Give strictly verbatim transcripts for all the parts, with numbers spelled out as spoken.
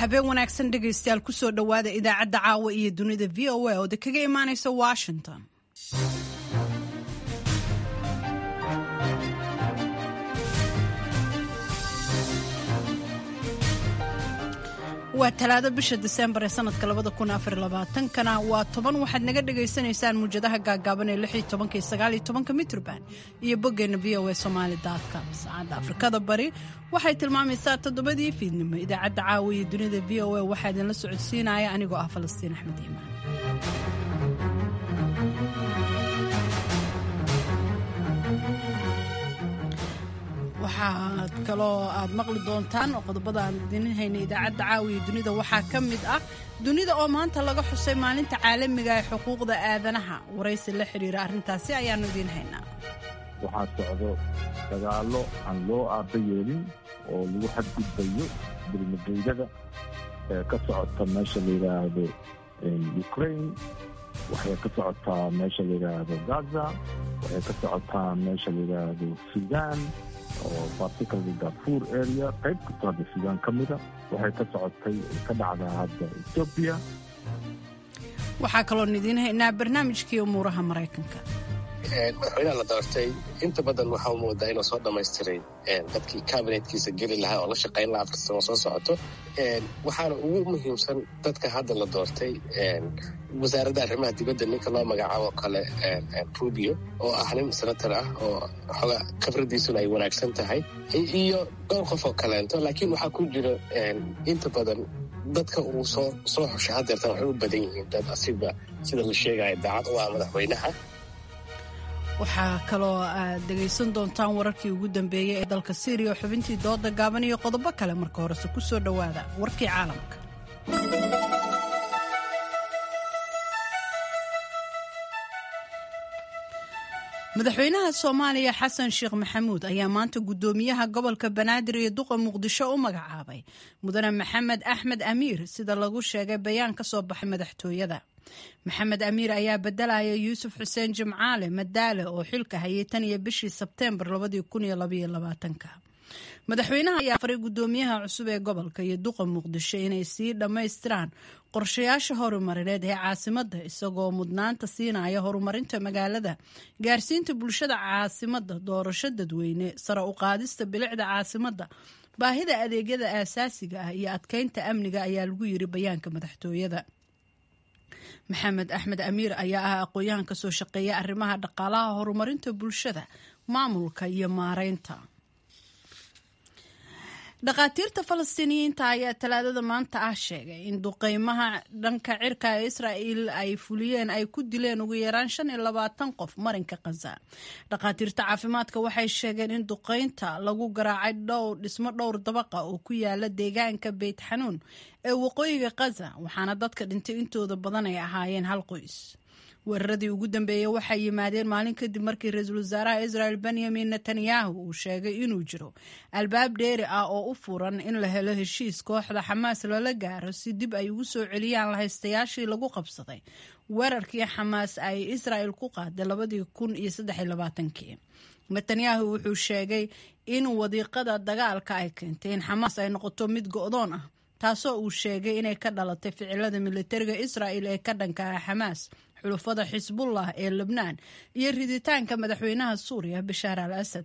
Habeen wanaagsan dhegaystayaal, kusoo dhowaada idaacadda caawa iyo dunida V O A oo de kaga imaanaysa Washington. Waa Talaado, bisha Disembar ee sanadka labada kun afar labaatankana waa toban. Waxaad naga dhagaysanaysaan muwjadaha gaagaaban ee lix iyo tobanka iyo sagaal iyo tobanka mitroband iyo boggeena V O A Somali com. Saacadda Afrikada Bari waxay tilmaamaysaa toddobadii fiidnimo. Idaacadda caawa iyo dunida V O A waxaa idinla socodsiinaya anigoo ah Falastiin Axmed Iimaan. Waxaad kaloo aad maqli doontaan oo qodobada aan idin haynay idaacadda caawiya dunida waxaa ka mid ah dunida oo maanta laga xusay maalinta caalamiga ee xuquuqda aadanaha. Waraysi la xiriira arrintaasi ayaanu idiin haynaa. Waxaa socdo dagaallo aan loo aaba yeelin oo lagu xadgudbayo dulmageydada ee ka socota meesha la yidhaahdo Ukraine, waxay ka socotaa meesha la yidhaahdo Gaza, waxay ka socotaa meesha la yidhaahdo Sudan oo particularly Darfur area, qayb kastoo hadda Suudaan ka mida, waxay ka socotay ka dhacdaa hadda Ethiopia. Waxaa kaloon idiin haynaa barnaamijkii umuuraha Maraykanka. Madaxweynaha la doortay inta badan waxaa moodaa inuu soo dhammaystiray dadkii kabinetkiisa geli lahaa oo la shaqayn lahaa afarta sano soo socoto. Waxaana ugu muhiimsan dadka hadda la doortay wasaaradda arrimaha dibadda ninka loo magacaabo kale Rubio, oo ah nin senator ah oo xoga khibradiisuna ay wanaagsan tahay, iyo dhowr qof oo kaleento. Laakiin waxaa ku jira inta badan dadka uu soo soo xushay hadeertan waxay u badan yihiin dad asiba sida la sheegaya daacad u ah madaxweynaha. Waxaa kaloo aad dhegaysan doontaan wararkii ugu dambeeyey ee dalka Siiriya, xubintii dooda gaaban iyo qodobo kale. Marka horese ku soo dhowaada warkii caalamka. Madaxweynaha Soomaaliya Xasan Sheekh Maxamuud ayaa maanta guddoomiyaha gobolka Banaadir iyo duqa Muqdisho u magacaabay mudane Maxamed Axmed Amiir, sida lagu sheegay bayaan ka soo baxay madaxtooyada. Maxamed Amiir ayaa bedelaya Yuusuf Xuseen Jimcaale Madaale oo xilka hayay tan iyo bishii Sebteembar. Madaxweynaha ayaa faray guddoomiyaha cusub ee gobolka iyo duqa Muqdisho inay sii dhammaystiraan qorshayaasha horumarineed ee caasimadda, isagoo mudnaanta siinaya horumarinta magaalada, gaarsiinta bulshada caasimadda doorasho dadweyne, sare u qaadista bilicda caasimadda, baahida adeegyada aasaasiga ah iyo adkeynta amniga, ayaa lagu yiri bayaanka madaxtooyada. Maxamed Axmed Amiir ayaa ah aqoon-yahan ka soo shaqeeya arrimaha dhaqaalaha, horumarinta bulshada, maamulka iyo maareynta. Dhakhaatiirta Falastiiniyiinta ayaa Talaadada maanta ah sheegay in duqeymaha dhanka cirka ee Israa'iil ay fuliyeen ay ku dileen ugu yaraan shan iyo labaatan qof marinka Khaza. Dhakhaatiirta caafimaadka waxay sheegeen in duqeynta lagu garaacay dhowr dhismo dhowr dabaqa oo ku yaala deegaanka Beyt Xanuun ee waqooyiga Khaza, waxaana dadka dhintay intooda badan ay ahaayeen hal qoys. Weeraradii ugu dambeeyey waxay yimaadeen maalin kadib markii ra-iisul wasaaraha Israel Benyamin Netanyahu uu sheegay inuu jiro albaab dheeri ah oo u furan in la helo heshiis kooxda Xamaas lala gaaro si dib ay ugu soo celiyaan lahaystayaashii lagu qabsaday weerarkii Xamaas ay Israel ku qaaday labadii kun iyo saddex iyo labaatankii. Netanyahu wuxuu sheegay in wadiiqada dagaalka ay keentay in Xamaas ay noqoto mid go'doon ah, taasoo uu sheegay inay ka dhalatay ficilada militariga Israel ee ka dhanka ah Xamaas, xulufada Xisbullah ee Lebnaan iyo riditaanka madaxweynaha Suuriya Bashaar al Asad.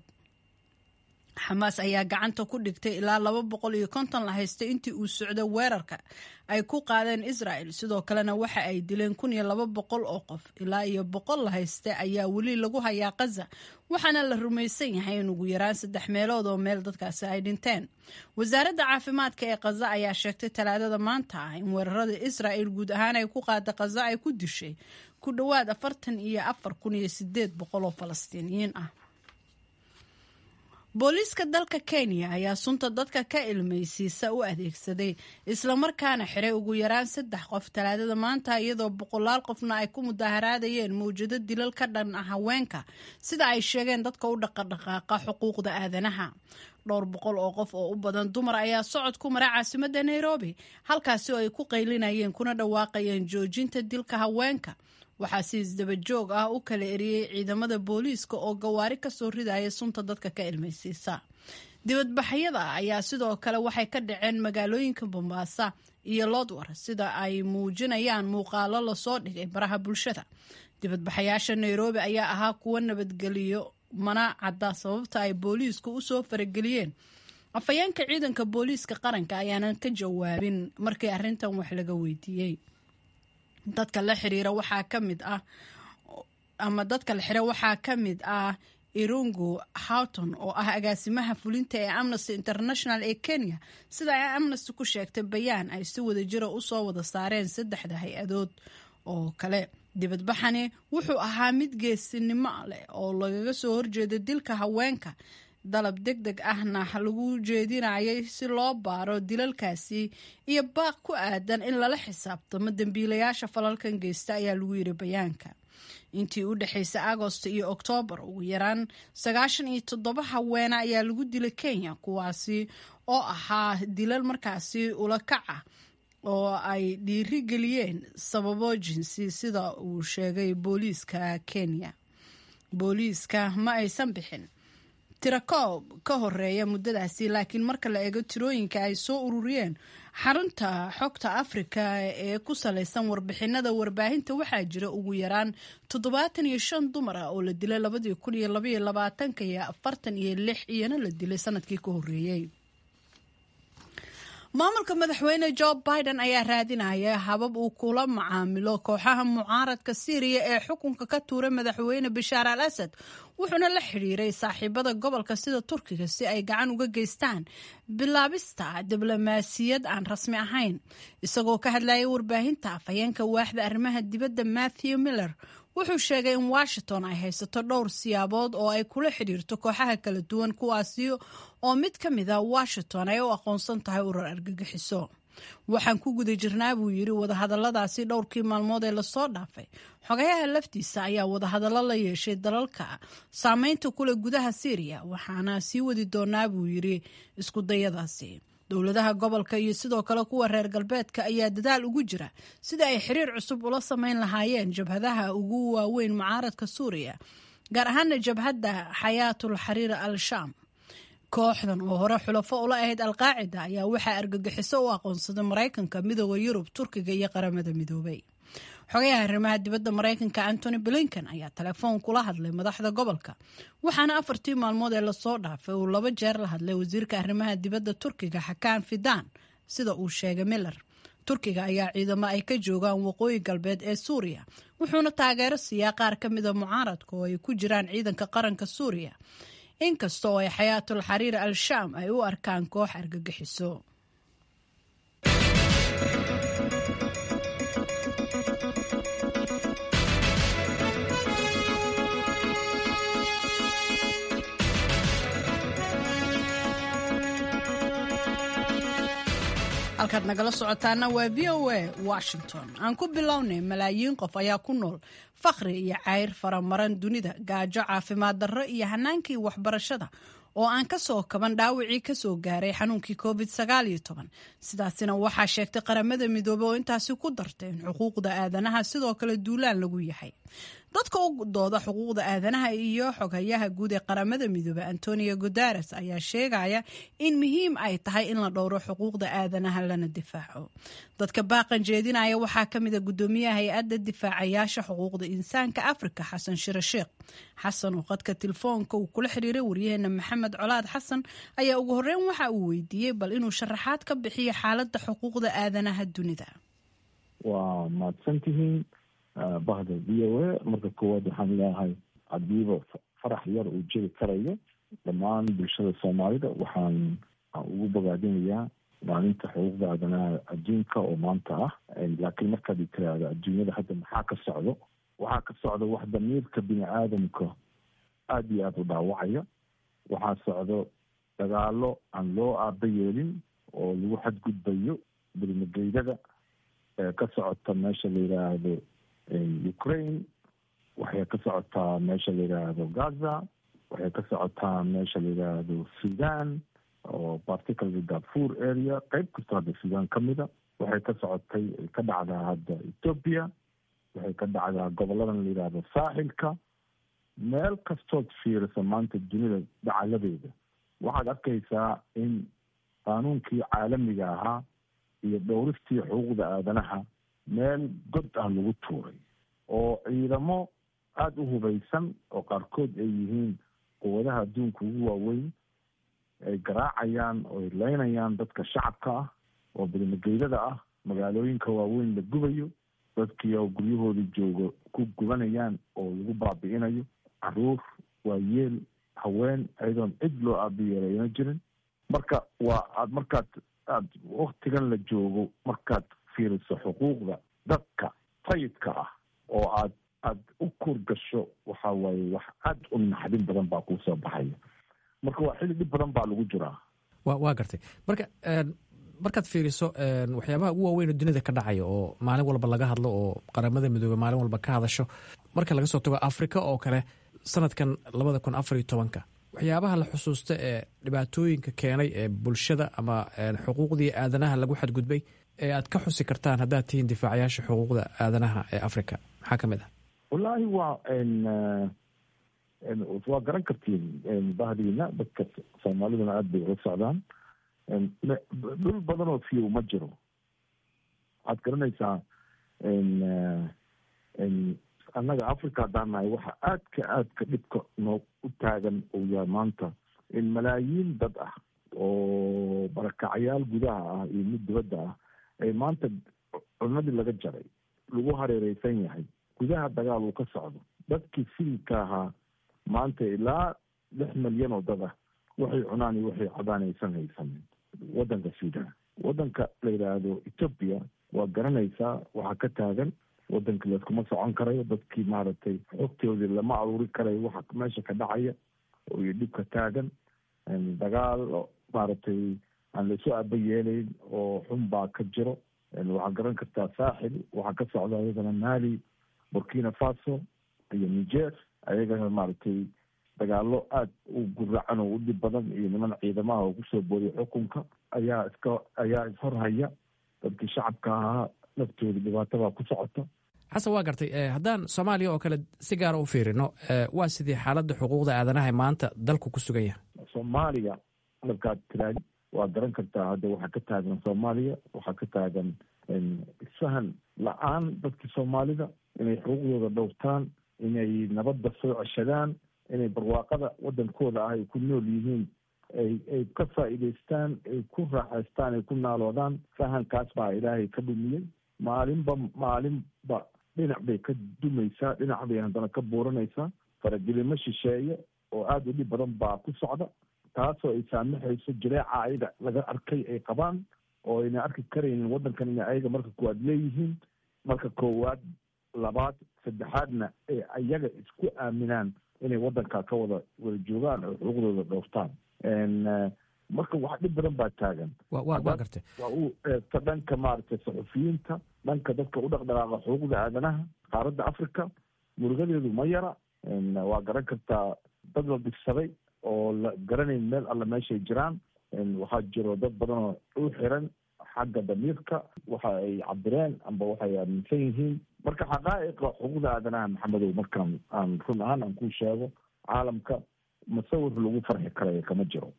Xamaas ayaa gacanta ku dhigtay ilaa laba boqol iyo konton la haystay intii uu socdo weerarka ay ku qaadeen Israel. Sidoo kalena waxa ay dileen kun iyo laba boqol oo qof. Ilaa iyo boqol la hayste ayaa weli lagu hayaa Qaza, waxaana la rumaysan yahay in ugu yaraan saddex meelood oo meel dadkaasi ay dhinteen. Wasaaradda caafimaadka ee Qaza ayaa sheegtay Talaadada maanta ah in weerarada Israel guud ahaan ay ku qaada Qaza ay ku dishay ku dhowaad afartan iyo afar kun iyo sideed boqol oo Falastiiniyiin ah. Booliiska dalka Kenya ayaa sunta dadka ka ilmaysiisa u adeegsaday islamarkaana xiray ugu yaraan saddex qof Talaadada maanta, iyadoo boqolaal qofna ay ku mudaharaadayeen mawjado dilal ka dhan ah haweenka, sida ay sheegeen dadka u dhaqadhaqaaqa xuquuqda aadanaha. Dhowr boqol oo qof oo u badan dumar ayaa socod ku mara caasimadda Nairobi, halkaasi oo ay ku qaylinayeen kuna dhawaaqayeen joojinta dilka haweenka. Waxaa si isdaba joog ah u kala eriyey ciidamada booliiska oo gawaari kasoo ridaya sunta dadka ka ilmaysiisa. Dibadbaxyada ayaa sidoo kale waxay ka dhaceen magaalooyinka Bombaasa iyo Lodwar, sida ay muujinayaan muuqaalo lasoo dhigay baraha bulshada. Dibadbaxayaasha Nairobi ayaa ahaa kuwo nabadgeliyo, mana cadda sababta ay booliisku usoo farageliyeen. Afhayeenka ciidanka booliiska qaranka ayaanan ka jawaabin markii arrintan wax laga weydiiyey. Dadka la xiriira waxaa ka mid ah ama dadka la xira waxaa ka mid ah Irungu Houghton oo ah agaasimaha fulinta ee Amnesty International ee Kenya, sida ay Amnesty ku sheegtay bayaan ay si wada jira usoo wada saareen saddexda hay-adood oo kale. Dibadbaxani wuxuu ahaa mid geesinimo leh oo lagaga soo horjeeda dilka haweenka, dalab deg deg ahna lagu jeedinayay si loo baaro dilalkaasi iyo baaq ku aadan in lala xisaabtamo dembiilayaasha falalkan geysta, ayaa lagu yiri bayaanka. Intii u dhexaysay Agosto iyo Oktoobar, ugu yaraan sagaashan iyo toddoba haweene ayaa lagu dilay Kenya, kuwaasi oo ahaa dilal markaasi ula kac ah oo ay dhiiri geliyeen sababo jinsi, sida uu sheegay booliiska Kenya. Booliiska ma aysan bixin tirakoob ka horeeya muddadaasi, laakiin marka la eego tirooyinka ay soo ururiyeen xarunta xogta Afrika ee ku salaysan warbixinada warbaahinta, waxaa jira ugu yaraan toddobaatan iyo shan dumar ah oo la dilay labadii kun iyo labaiyo labaatanka iyo afartan iyo lix iyana la dilay sanadkii ka horreeyey. Maamulka madaxweyne Joe Biden ayaa raadinaya habab uu kula macaamilo kooxaha mucaaradka Siiriya ee xukunka ka tuuray madaxweyne Bashaar al Asad, wuxuuna la xidhiiray saaxiibada gobolka sida Turkiga si ay gacan uga geystaan bilaabista diblomaasiyad aan rasmi ahayn. Isagoo ka hadlayay warbaahinta, afhayeenka waaxda arrimaha dibadda Matthew Miller wuxuu sheegay in Washington ay haysato dhowr siyaabood oo ay kula xidhiirto kooxaha kala duwan, kuwaasi oo mid ka mid a Washington ay u aqoonsan tahay urur argagixiso. Waxaan ku guda jirnaa, buu yidhi, wadahadaladaasi dhowrkii maalmood ee lasoo dhaafay. Xogayaha laftiisa ayaa wadahadallo la yeeshay dalalka saameynta kule gudaha Siiriya, waxaana sii wadi doonaa, buu yidhi, isku dayadaasi. Dowladaha gobolka iyo sidoo kale kuwa reer galbeedka ayaa dadaal ugu jira sida ay xiriir cusub ula sameyn lahaayeen jabhadaha ugu waaweyn mucaaradka Suuriya, gaar ahaana jabhadda Xayaatul Xariir al Shaam. Kooxdan oo hore xulafo ula ahayd Alqaacida ayaa waxaa argagixiso u aqoonsaday Maraykanka, Midooda Yurub, Turkiga iyo Qaramada Midoobay. Xogayaha arrimaha dibadda Maraykanka Antony Blinken ayaa telefoon kula hadlay madaxda gobolka, waxaana afartii maalmood ee lasoo dhaafay uu laba jeer la hadlay wasiirka arrimaha dibadda Turkiga Xakaan Fidan, sida uu sheegay Miller. Turkiga ayaa ciidamo ay ka joogaan waqooyi galbeed ee Suuriya, wuxuuna taageero siiyaa qaar ka mida mucaaradka oo ay ku jiraan Ciidanka Qaranka Suuriya, inkasta oo ay Xayaatul Xariir al-Shaam ay u arkaan koox argagixiso. Halkaad nagala socotaana waa V O A Washington. Aan ku bilownay, malaayiin qof ayaa ku nool fakhri iyo cayr faramaran dunida, gaajo, caafimaad darro iyo hanaankii waxbarashada oo aan ka soo kaban dhaawacii kasoo gaaray xanuunkii covid sagaal iyo toban. Sidaasina waxaa sheegtay Qaramada Midoobey, oo intaasi ku dartay in xuquuqda aadanaha sidoo kale duulaan lagu yahay. Dadka u dooda xuquuqda aadanaha iyo xoghayaha guud ee Qaramada Midoobey Antonio Guterres ayaa sheegaya in muhiim ay tahay in la dhowro xuquuqda aadanaha lana difaaco. Dadka baaqan jeedinaya waxaa ka mid a gudoomiyaha hay-adda difaacayaasha xuquuqda insaanka Afrika, Xasan Shire Sheekh Xasan, oo qadka telefoonka uu kula xiriiray waryaheena Maxamed Colaad Xasan ayaa ugu horreyn waxa uu weydiiyey bal inuu sharaxaad ka bixiyo xaaladda xuquuqda aadanaha dunida. Waa mahadsantihiin bahda V O A. Marka koowaad waxaan leeyahay, hadiiba farax yar uu jiri karayo, dhammaan bulshada Soomaalida waxaan ugu bogaadinayaa maalinta xuquuqda aadanaha adduunka oo maanta ah. Laakiin markaad tiraahdo adduunyada hadda maxaa ka socdo, waxaa ka socda wax damiirka bini aadamka aada iyo aada u dhaawacaya. Waxaa socdo dagaalo aan loo aaba yeelin oo lagu xadgudbayo bilmageydada ka socota meesha la yidhaahdo Ukraine, waxay ka socotaa meesha la yidhaahdo Gaza, waxay ka socotaa meesha la yidhaahdo Sudan, oo particularly Darfur area, qeyb kastoo hadda Sudan ka mida. Waxay ka socotay, ka dhacdaa hadda Ethiopia, waxay ka dhacdaa goboladan la yidhaahdo saaxilka. Meel kastood fiirisa maanta dunida dacaladeeda Waxaad arkaysaa in qaanuunkii caalamiga ahaa iyo dhowristii xuquuqda aadanaha meel god ah lagu tuuray, oo ciidamo aada u hubaysan oo qaarkood ay yihiin quwadaha adduunka ugu waaweyn ay garaacayaan oo ay leynayaan dadka shacabka ah oo bilmageydada ah, magaalooyinka waaweyn la gubayo, dadkii oo guryahooda joogo ku gubanayaan oo lagu baabi'inayo, caruur, waayeel, haween, ayadoon cid loo aabiyeelayna jirin. Marka waa aad markaad aad waktigan la joogo markaad fiiriso xuquuqda dadka sayidka ah oo aad aad u kuur gasho, waxa waaye wax aad u naxdin badan baa kuu soo baxaya. Marka waa xilli dhib badan baa lagu jiraa. wa waa gartay. Marka markaad fiiriso waxyaabaha ugu waaweyn oo dunida ka dhacaya oo maalin walba laga hadlo oo Qaramada Midoobey maalin walba ka hadasho, marka laga soo tago Afrika oo kale, sanadkan labada kun afar iyo tobanka waxyaabaha la xusuusta ee dhibaatooyinka keenay ee bulshada ama xuquuqdii aadanaha lagu xadgudbay ee aad ka xusi kartaan haddaad tihiin difaacayaasha xuquuqda aadanaha ee Africa, maxaa ka mid ah? Wallaahi waa waa garan kartiin bahdiina, dadka Soomaaliduna aada bay ula socdaan. Dhul badan oo fiyow ma jiro. Waxaad garanaysaa, annaga Africa haddaan nahay, waxa aadka aadka dhibka noo u taagan uu yahay maanta in malaayiin dad ah oo barakacyaal gudaha ah iyo mid dibadda ah ay maanta cunadii laga jaray, lagu hareereysan yahay, gudaha dagaal uu ka socdo. Dadkii sivilka ahaa maanta ilaa lix milyan oo dad ah waxay cunaan iyo waxay cabaan aysan haysanin. Waddanka Sudan, waddanka la yidhaahdo Ethiopia, waa garanaysaa waxaa ka taagan. Waddanka layskuma socon karayo, dadkii maaragtay xogtoodii lama aruuri karayo waxa meesha ka dhacaya iyo dhibka taagan. Dagaal maaragtay aan laysu aba yeelayn oo xun baa ka jiro. Waxaa garan kartaa Saaxil waxaa ka socda, iyagana Mali, Burkina Faso iyo Niger, ayagana maaragtay dagaalo aada u guracan oo u dhib badan iyo niman ciidamaha oo kusoo booriya xukunka ayaa iska ayaa ishorhaya. Dadkii shacabka ahaa naftooda dhibaatabaa ku socota. Xasan, waa gartay. Haddaan Soomaaliya oo kale si gaara u fiirino, waa sidii xaaladda xuquuqda aadanaha maanta dalku ku sugan yahay? Soomaaliya markaad tiraadi, waa garan kartaa hadda waxaa ka taagan Soomaaliya. Waxaa ka taagan isfahan la-aan dadkii Soomaalida inay xuquuqdooda dhowrtaan, inay nabadda soo ceshadaan, inay barwaaqada waddankooda ah ay ku nool yihiin ay ay ka faa'iidaystaan, ay ku raaxaystaan, ay ku naaloodaan. Fahankaas baa Ilaahay ka dhumiyey. Maalinba maalinba dhinac bay ka dumaysaa, dhinac bay haddana ka buuranaysaa. Faragelimo shisheeye oo aada u dhib badan baa ku socda, taasoo ay saamaxayso jireeca ayaga laga arkay ay qabaan oo ayna arki karaynin waddankan inay ayaga marka koowaad leeyihiin, marka koowaad, labaad, saddexaadna ay ayaga isku aaminaan inay waddanka ka wada wada joogaan oo xuquuqdooda dhowrtaan. Marka wax dhib badan baa taagan. Waa gartay. Waa u eegta dhanka maaragtay saxufiyiinta, dhanka dadka u dhaqdhaqaaqa xuquuqda aadanaha, qaaradda Africa murugadeedu ma yara. Waa garan kartaa dad la dhigsaday oo la garanayn meel alle meeshay jiraan. Waxaa jiro dad badan oo u xiran xagga damiirka, waxa ay cabireen amba waxay aaminsan yihiin. Marka xaqaa'iqa xuquuqda aadanaha, Maxamedow, markaan aan run ahaan aan kuu sheego, caalamka masawir lagu farxi karayo kama jiro.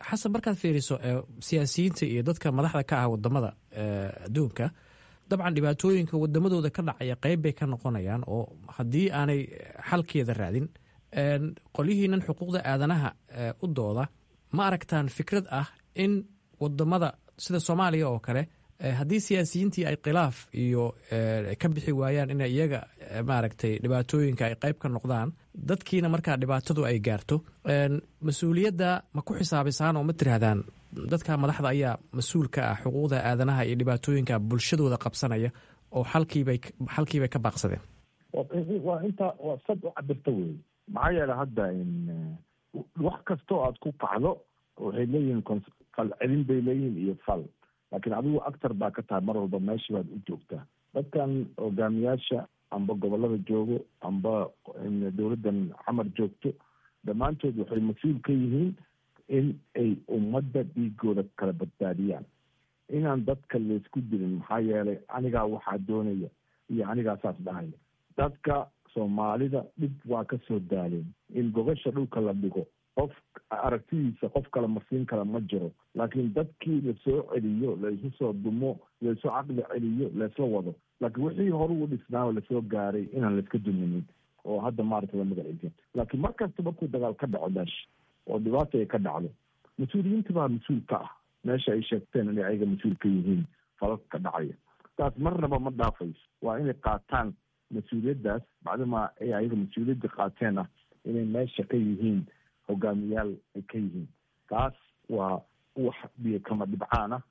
Xasan, markaad fiiriso siyaasiyiinta iyo dadka madaxda ka ah wadamada adduunka, dabcan dhibaatooyinka wadamadooda ka dhacaya qeyb bay ka noqonayaan oo haddii aanay xalkeeda raadin. Qolyihiinan xuquuqda aadanaha u dooda, ma aragtaan fikrad ah in wadamada sida Soomaaliya oo kale, haddii siyaasiyiintii ay khilaaf iyo ka bixi waayaan, inay iyaga maaragtay dhibaatooyinka ay qayb ka noqdaan, dadkiina markaa dhibaatadu ay gaarto, mas-uuliyadda ma ku xisaabisaan oo ma tiraahdaan dadka madaxda ayaa mas-uul ka ah xuquuqda aadanaha iyo dhibaatooyinka bulshadooda qabsanaya oo xalkiibay xalkiibay ka baaqsadeen? Waa intaa, waa sad u cabirta wey. Maxaa yeele hadda wax kastoo aad ku kacdo waxay leeyihiin falcelin bay leeyihiin iyo fal, laakiin adigu actor baa ka tahay mar walba, meesha baad u joogtaa. Dadkan hogaamiyaasha amba gobolada joogo amba dowladdan Xamar joogto, dhammaantood waxay mas-uul ka yihiin in ay ummadda dhiigooda kala badbaadiyaan, inaan dadka laysku dilin. Maxaa yeelay anigaa waxaa doonaya iyo anigaa saas dhahaya. Dadka Soomaalida dhib waa ka soo daaleen in gogasha dhulka la dhigo. Qof aragtidiisa qof kale marsiin kara ma jiro, laakiin dadkii lasoo celiyo, laisu soo dumo, laisu caqli celiyo, laisla wado. Laakiin wixii hore u dhisnaa lasoo gaaray inaan laiska duminin oo hadda maaragta la magaciisa. Laakiin mar kasta markuu dagaal ka dhaco meesha oo dhibaata ay ka dhacdo, mas-uuliyiinta baa mas-uul ka ah meesha ay sheegteen inay ayaga mas-uul ka yihiin falalka ka dhacaya. Taas marnaba ma dhaafayso, waa inay qaataan mas-uuliyaddaas, bacdamaa ay ayaga mas-uuliyadda qaateen ah inay meesha ka yihiin hogaamiyaal ay ka yihiin. Taas waa wax biyo kama dhibcaan ah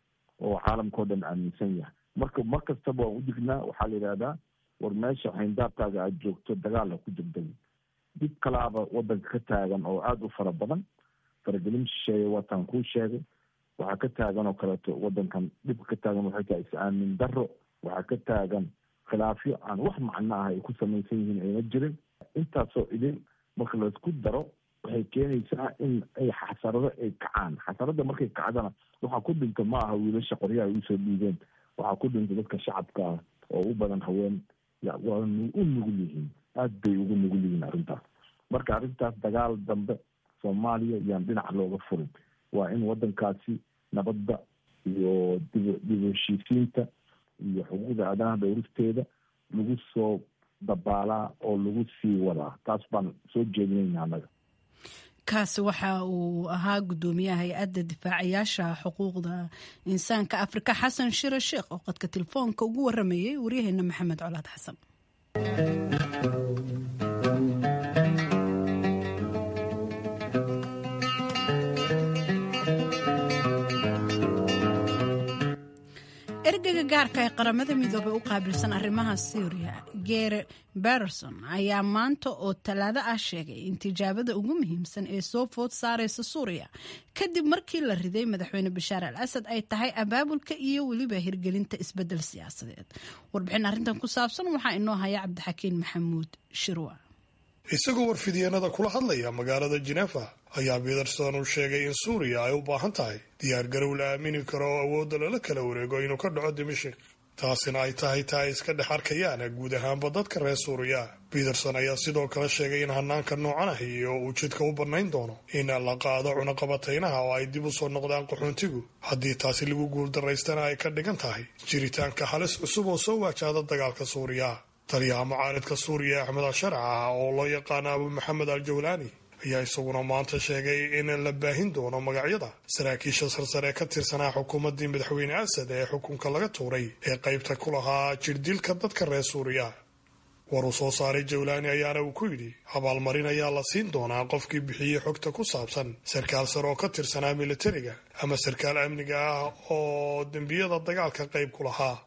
oo caalamkao dhan aaminsan yahay. Marka mar kastaba waan udignaa, waxaa la yidhahdaa war meesha xayndaabkaaga aada joogto dagaal ha ku degdegin. Dib kalaaba wadanka ka taagan oo aada u fara badan, faragelin shisheeye waataan kuu sheegay. Waxaa ka taagan oo kaleeto wadankan dhibka ka taagan waxay tahay is-aamin darro, waxaa ka taagan khilaafyo aan wax macno ah ay ku samaysan yihiin ayna jirin. Intaasoo idin marka laisku daro waxay keenaysaa in ay xasarado ay kacaan. Xasarada markay kacdana waxaa ku dhinto ma aha wiilasha qoryaha ay usoo dhiibeen, waxaa ku dhinta dadka shacabka ah oo u badan haween. Waa u nugul yihiin, aada bay ugu nugul yihiin arrintaas. Marka arrintaas dagaal dambe Soomaaliya yaan dhinac looga furin. Waa in wadankaasi nabadda iyo dib dib heshiisiinta iyo xuquuqda aadanaha dhowristeeda lagu soo dabaalaa oo lagu sii wadaa. Taas baan soo jeedinayna annaga. Kaasi waxa uu ahaa guddoomiyaha hay-adda difaacayaasha xuquuqda insaanka Afrika, Xasan Shire Sheekh, oo qadka telefoonka ugu waramayay waryaheena Maxamed Colaad Xasan. Ergeyga gaarka ee Qaramada Midoobey u qaabilsan arrimaha Suuriya, Geere Berson, ayaa maanta oo Talaado ah sheegay in tijaabada ugu muhiimsan ee soo food saareysa Suuriya kadib markii la riday madaxweyne Bashaar al Asad ay tahay abaabulka iyo weliba hirgelinta isbedel siyaasadeed. Warbixin arrintan ku saabsan waxaa inoo haya Cabdixakiin Maxamuud Shirwa. Isagoo warfidyeenada kula hadlaya magaalada Jinefa ayaa Peterson uu sheegay in Suuriya ay u baahan tahay diyaargarow la aamini karo oo awoodda lala kala wareego inuu ka dhaco Dimashik, taasina ay tahay taa ay iska dhex arkayaan guud ahaanba dadka reer Suuriya. Peterson ayaa sidoo kale sheegay in hanaanka noocan ahi oo uu jidka u bannayn doono in la qaado cunaqabataynaha oo ay dib u soo noqdaan qaxoontigu, haddii taasi lagu guuldaraystana ay ka dhigan tahay jiritaanka halis cusub oo soo waajahda dagaalka Suuriya. Taliyaha mucaaridka Suuriya Axmed Al-Sharca oo loo yaqaano Abu Maxamed Al Jawlaani ayaa isaguna maanta sheegay in la baahin doono magacyada saraakiisha sarsare ee ka tirsanaa xukuumaddii madaxweyne Asad ee xukunka laga tuuray ee qaybta ku lahaa jirdilka dadka reer Suuriya. War uu soo saaray Jawlaani ayaana uu ku yidhi abaalmarin ayaa la siin doonaa qofkii bixiyey xogta ku saabsan sarkaal sare oo ka tirsanaa militariga ama sarkaal amniga ah oo dembiyada dagaalka qayb ku lahaa.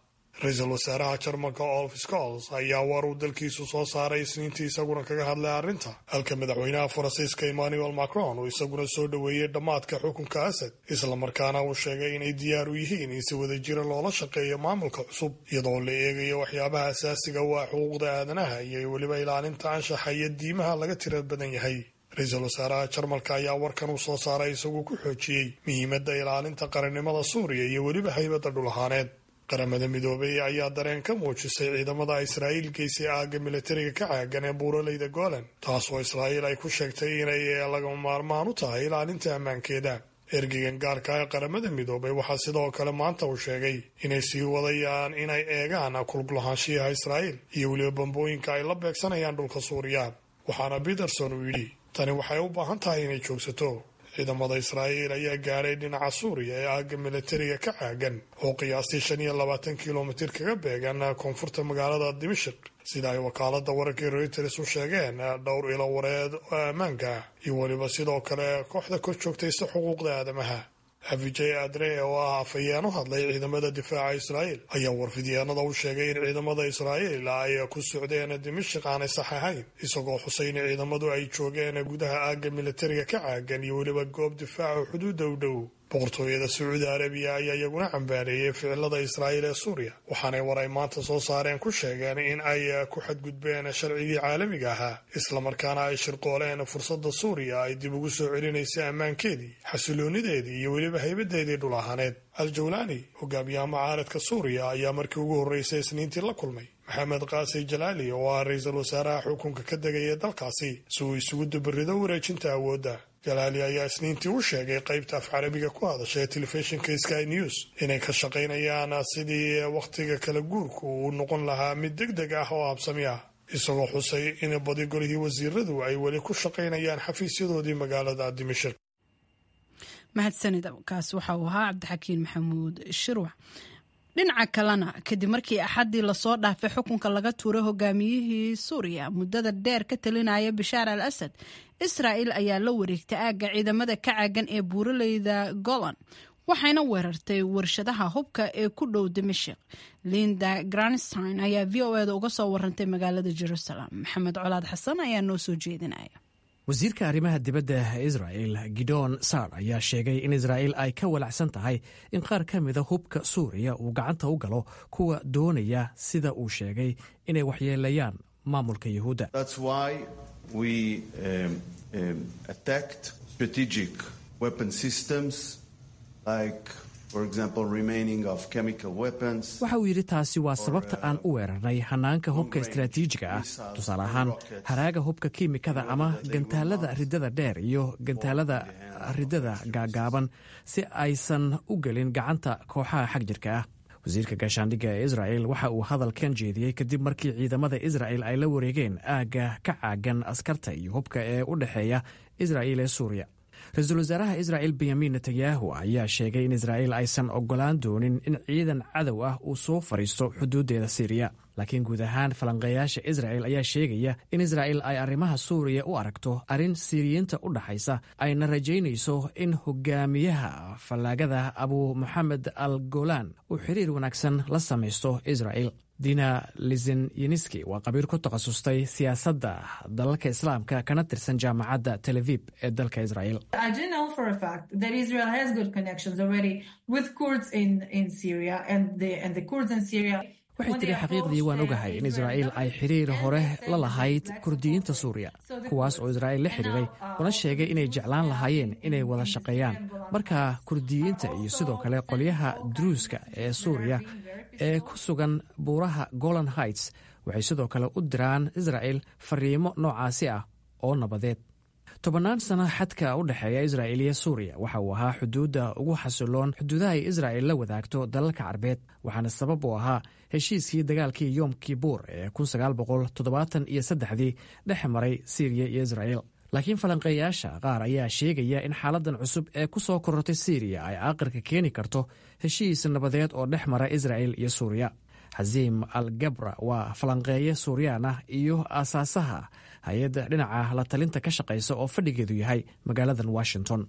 Ra-iisul wasaaraha Jarmalka Olaf Scholz ayaa war uu dalkiisu soo saaray Isniintii isaguna kaga hadlay arrinta, halka madaxweynaha Faransiiska Emmanuel Macron uu isaguna soo dhoweeyey dhammaadka xukunka Asad, islamarkaana uu sheegay inay diyaar u yihiin in si wadajira loola shaqeeyo maamulka cusub, iyadoo la eegayo waxyaabaha asaasiga u ah xuquuqda aadanaha iyo weliba ilaalinta anshaxa iyo diimaha laga tira badan yahay. Ra-iisul wasaaraha Jarmalka ayaa warkan uu soo saaray isagu ku xoojiyey muhiimadda ilaalinta qarannimada Suuriya iyo weliba haybadda dhul ahaaneed. Qaramada Midoobay ayaa dareen ka muujisay ciidamada Israa'iil geysay aagga militariga ka caagan ee buuraleyda Golan, taasoo Israa'iil ay ku sheegtay inay lagama maarmaan u tahay ilaalinta ammaankeeda. Ergeygan gaarka ee Qaramada Midoobay waxaa sidoo kale maanta uu sheegay inay sii wadayaan inay eegaan kulgulahaanshiyaha Israa'iil iyo weliba bambooyinka ay la beegsanayaan dhulka Suuriya. Waxaana Peterson uu yidhi tani waxay u baahan tahay inay joogsato. Ciidamada Israa'iil ayaa gaadhay dhinaca Suuriya ee aagga militariga ka caagan oo qiyaastii shan iyo labaatan kilomitir kaga beegan koonfurta magaalada Dimashik, sida ay wakaaladda wararkii Reuters u sheegeen dhowr ilo wareed oo ammaanka ah iyo weliba sidoo kale kooxda kor joogtaysa xuquuqda aadamaha. Avijay Adre oo ah afhayeen u hadlay ciidamada difaaca Israa'iil ayaa warfidyaanada u sheegay in ciidamada Israa'iil ay ku socdeen Dimashik aanay sax ahayn, isagoo xusay in ciidamadu ay joogeen gudaha aagga militariga ka caagan iyo weliba goob difaaca xuduudda u dhow. Boqortooyada Sacuudi Arabiya ayaa iyaguna cambaareeyay ficilada Israa'iil ee Suuriya, waxaanay war ay maanta soo saareen ku sheegeen in ay ku xadgudbeen sharcigii caalamiga ahaa, islamarkaana ay shirqooleen fursadda Suuriya ay dib ugu soo celinaysay ammaankeedii, xasiloonideedii iyo weliba haybadeedii dhul ahaaneed. Al-Jawlaani, hogaamiyaha mucaaradka Suuriya, ayaa markii ugu horreysay Isniintii la kulmay Maxamed Qaasi Jalaali oo ah ra-iisul wasaaraha xukunka ka degaya dalkaasi si uu isugu dubarido wareejinta awoodda. Jalaali ayaa Isniintii u sheegay qaybta af Carabiga ku hadasha ee telefishinka Sky News inay ka shaqaynayaan sidii wakhtiga kala guurku uu noqon lahaa mid deg deg ah oo habsami ah, isagoo xusay in badi golihii wasiiradu ay weli ku shaqaynayaan xafiisyadoodii magaalada Dimashik. Mahadsanid, kaas waxa uu ahaa Cabdixakiin Maxamuud Shirwac. Dhinaca kalena, kadib markii Axaddii lasoo dhaafay xukunka laga tuuray hogaamiyihii Suuriya muddada dheer ka talinaya Bashaar al Asad, Israa'il ayaa la wareegtay aagga ciidamada ka caagan ee buuraleyda Golan, waxayna weerartay warshadaha hubka ee ku dhow Dimashik. Linda Granstein ayaa V O eda uga soo warantay magaalada Jerusalem. Maxamed Colaad Xasan ayaa noo soo jeedinaya. Wasiirka arrimaha dibadda Israel Gidon Saar ayaa sheegay in Israa'il ay ka walacsan tahay in qaar ka mida hubka Suuriya uu gacanta u galo kuwa doonaya, sida uu sheegay, inay waxyeeleeyaan maamulka Yuhuudda. Waxa uu yidhi, taasi waa sababta aan u weerarnay hanaanka hubka istaraatiijiga ah, tusaale ahaan haraaga hubka kiimikada ama gantaalada riddada dheer iyo gantaalada riddada gaagaaban, si aysan u gelin gacanta kooxaha xagjirka ah. Wasiirka gaashaandhigga ee Israel waxa uu hadalkan jeediyey kadib markii ciidamada Israel ay la wareegeen aagga ka caagan askarta iyo hubka ee u dhexeeya Israel ee Suuriya. Ra-iisul wasaaraha Israel Benyamin Netanyahu ayaa sheegay in Israa'iil aysan ogolaan doonin in ciidan cadow ah uu soo fadhiisto xuduuddeeda Siiriya. Laakiin guud ahaan falanqeeyaasha Israel ayaa sheegaya in Israa'il ay arrimaha Suuriya u aragto arrin Siiriyiinta u dhaxaysa, ayna rajaynayso in hogaamiyaha fallaagada Abu Moxamed al Golan uu xiriir wanaagsan la samaysto Israa'il. Dina Lizenyiniski waa qabiir ku takhasustay siyaasadda dalalka Islaamka kana tirsan jaamacadda Tel Aviv ee dalka Israel. Waxay tiri, xaqiiqdii waan ogahay in Israa'iil ay xiriir hore la lahayd Kurdiyiinta Suuriya, kuwaas oo Israa'iil la xiriiray una sheegay inay jeclaan lahaayeen inay wada shaqeeyaan. Marka Kurdiyiinta iyo sidoo kale qolyaha Druuska ee Suuriya ee ku sugan buuraha Golan Heights waxay sidoo kale u diraan Israa'il fariimo noocaasi ah oo nabadeed. Tobannaan sano xadka u dhexeeya Israa'il iyo Suuriya waxa uu ahaa xuduudda ugu xasiloon xuduudaha ay Israa'il la wadaagto dalalka Carbeed, waxaana sabab u ahaa heshiiskii dagaalkii Yom Kibuur ee iyo saddexdii dhex maray Siiriya iyo Israa'il. Laakiin falanqeeyaasha qaar ayaa sheegaya in xaaladdan cusub ee ku soo korortay Siiriya ay aaqirka keeni karto heshiis nabadeed oo dhex mara Israa'il iyo Suuriya. Xasiim al Gabra waa falanqeeye Suuriyaan ah iyo aasaasaha hay-adda dhinaca la talinta ka shaqaysa oo fadhigeedu yahay magaaladan Washington.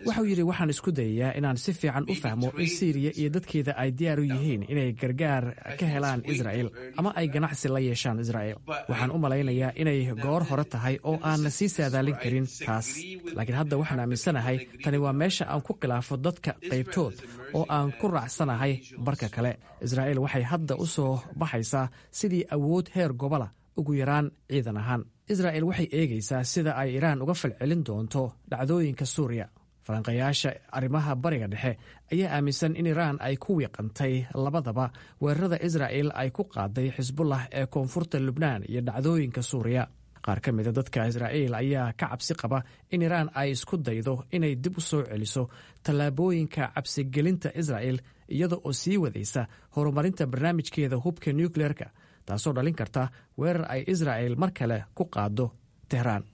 Waxau yidhi, waxaan isku dayayaa inaan si fiican u fahmo in Siiriya iyo dadkeeda ay diyaar u yihiin inay gargaar ka helaan Israa'il ama ay ganacsi la yeeshaan Israa'il. Waxaan u malaynayaa inay goor hore tahay oo aanna sii saadaalin karin taas, laakiin hadda waxaan aaminsanahay tani waa meesha aan ku khilaafo dadka qaybtood oo aan ku raacsanahay barka kale. Israa'iil waxay hadda u soo baxaysaa sidii awood heer gobola, ugu yaraan ciidan ahaan. Israa'il waxay eegaysaa sida ay Iiraan uga falcelin doonto dhacdooyinka Suuriya. Falanqayaasha arrimaha Bariga Dhexe ayaa aaminsan in Iiraan ay ku wiiqantay labadaba weerarada Israa'il ay ku qaaday Xisbullah ee koonfurta Lubnaan iyo dhacdooyinka Suuriya. Qaar ka mida dadka Israa'iil ayaa ka cabsi qaba in Iiraan ay isku daydo inay dib u soo celiso tallaabooyinka cabsigelinta Israa'il, iyada oo sii wadaysa horumarinta barnaamijkeeda hubka nukleerka, taasoo dhalin karta weerar ay Israa'il mar kale ku qaado Tehraan.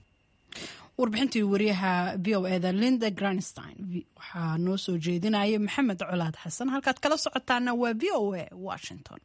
Warbixintii wariyaha V O eda Linda Granstein waxaa noo soo jeedinaya Maxamed Colaad Xasan. Halkaad kala socotaana waa V O A Washington.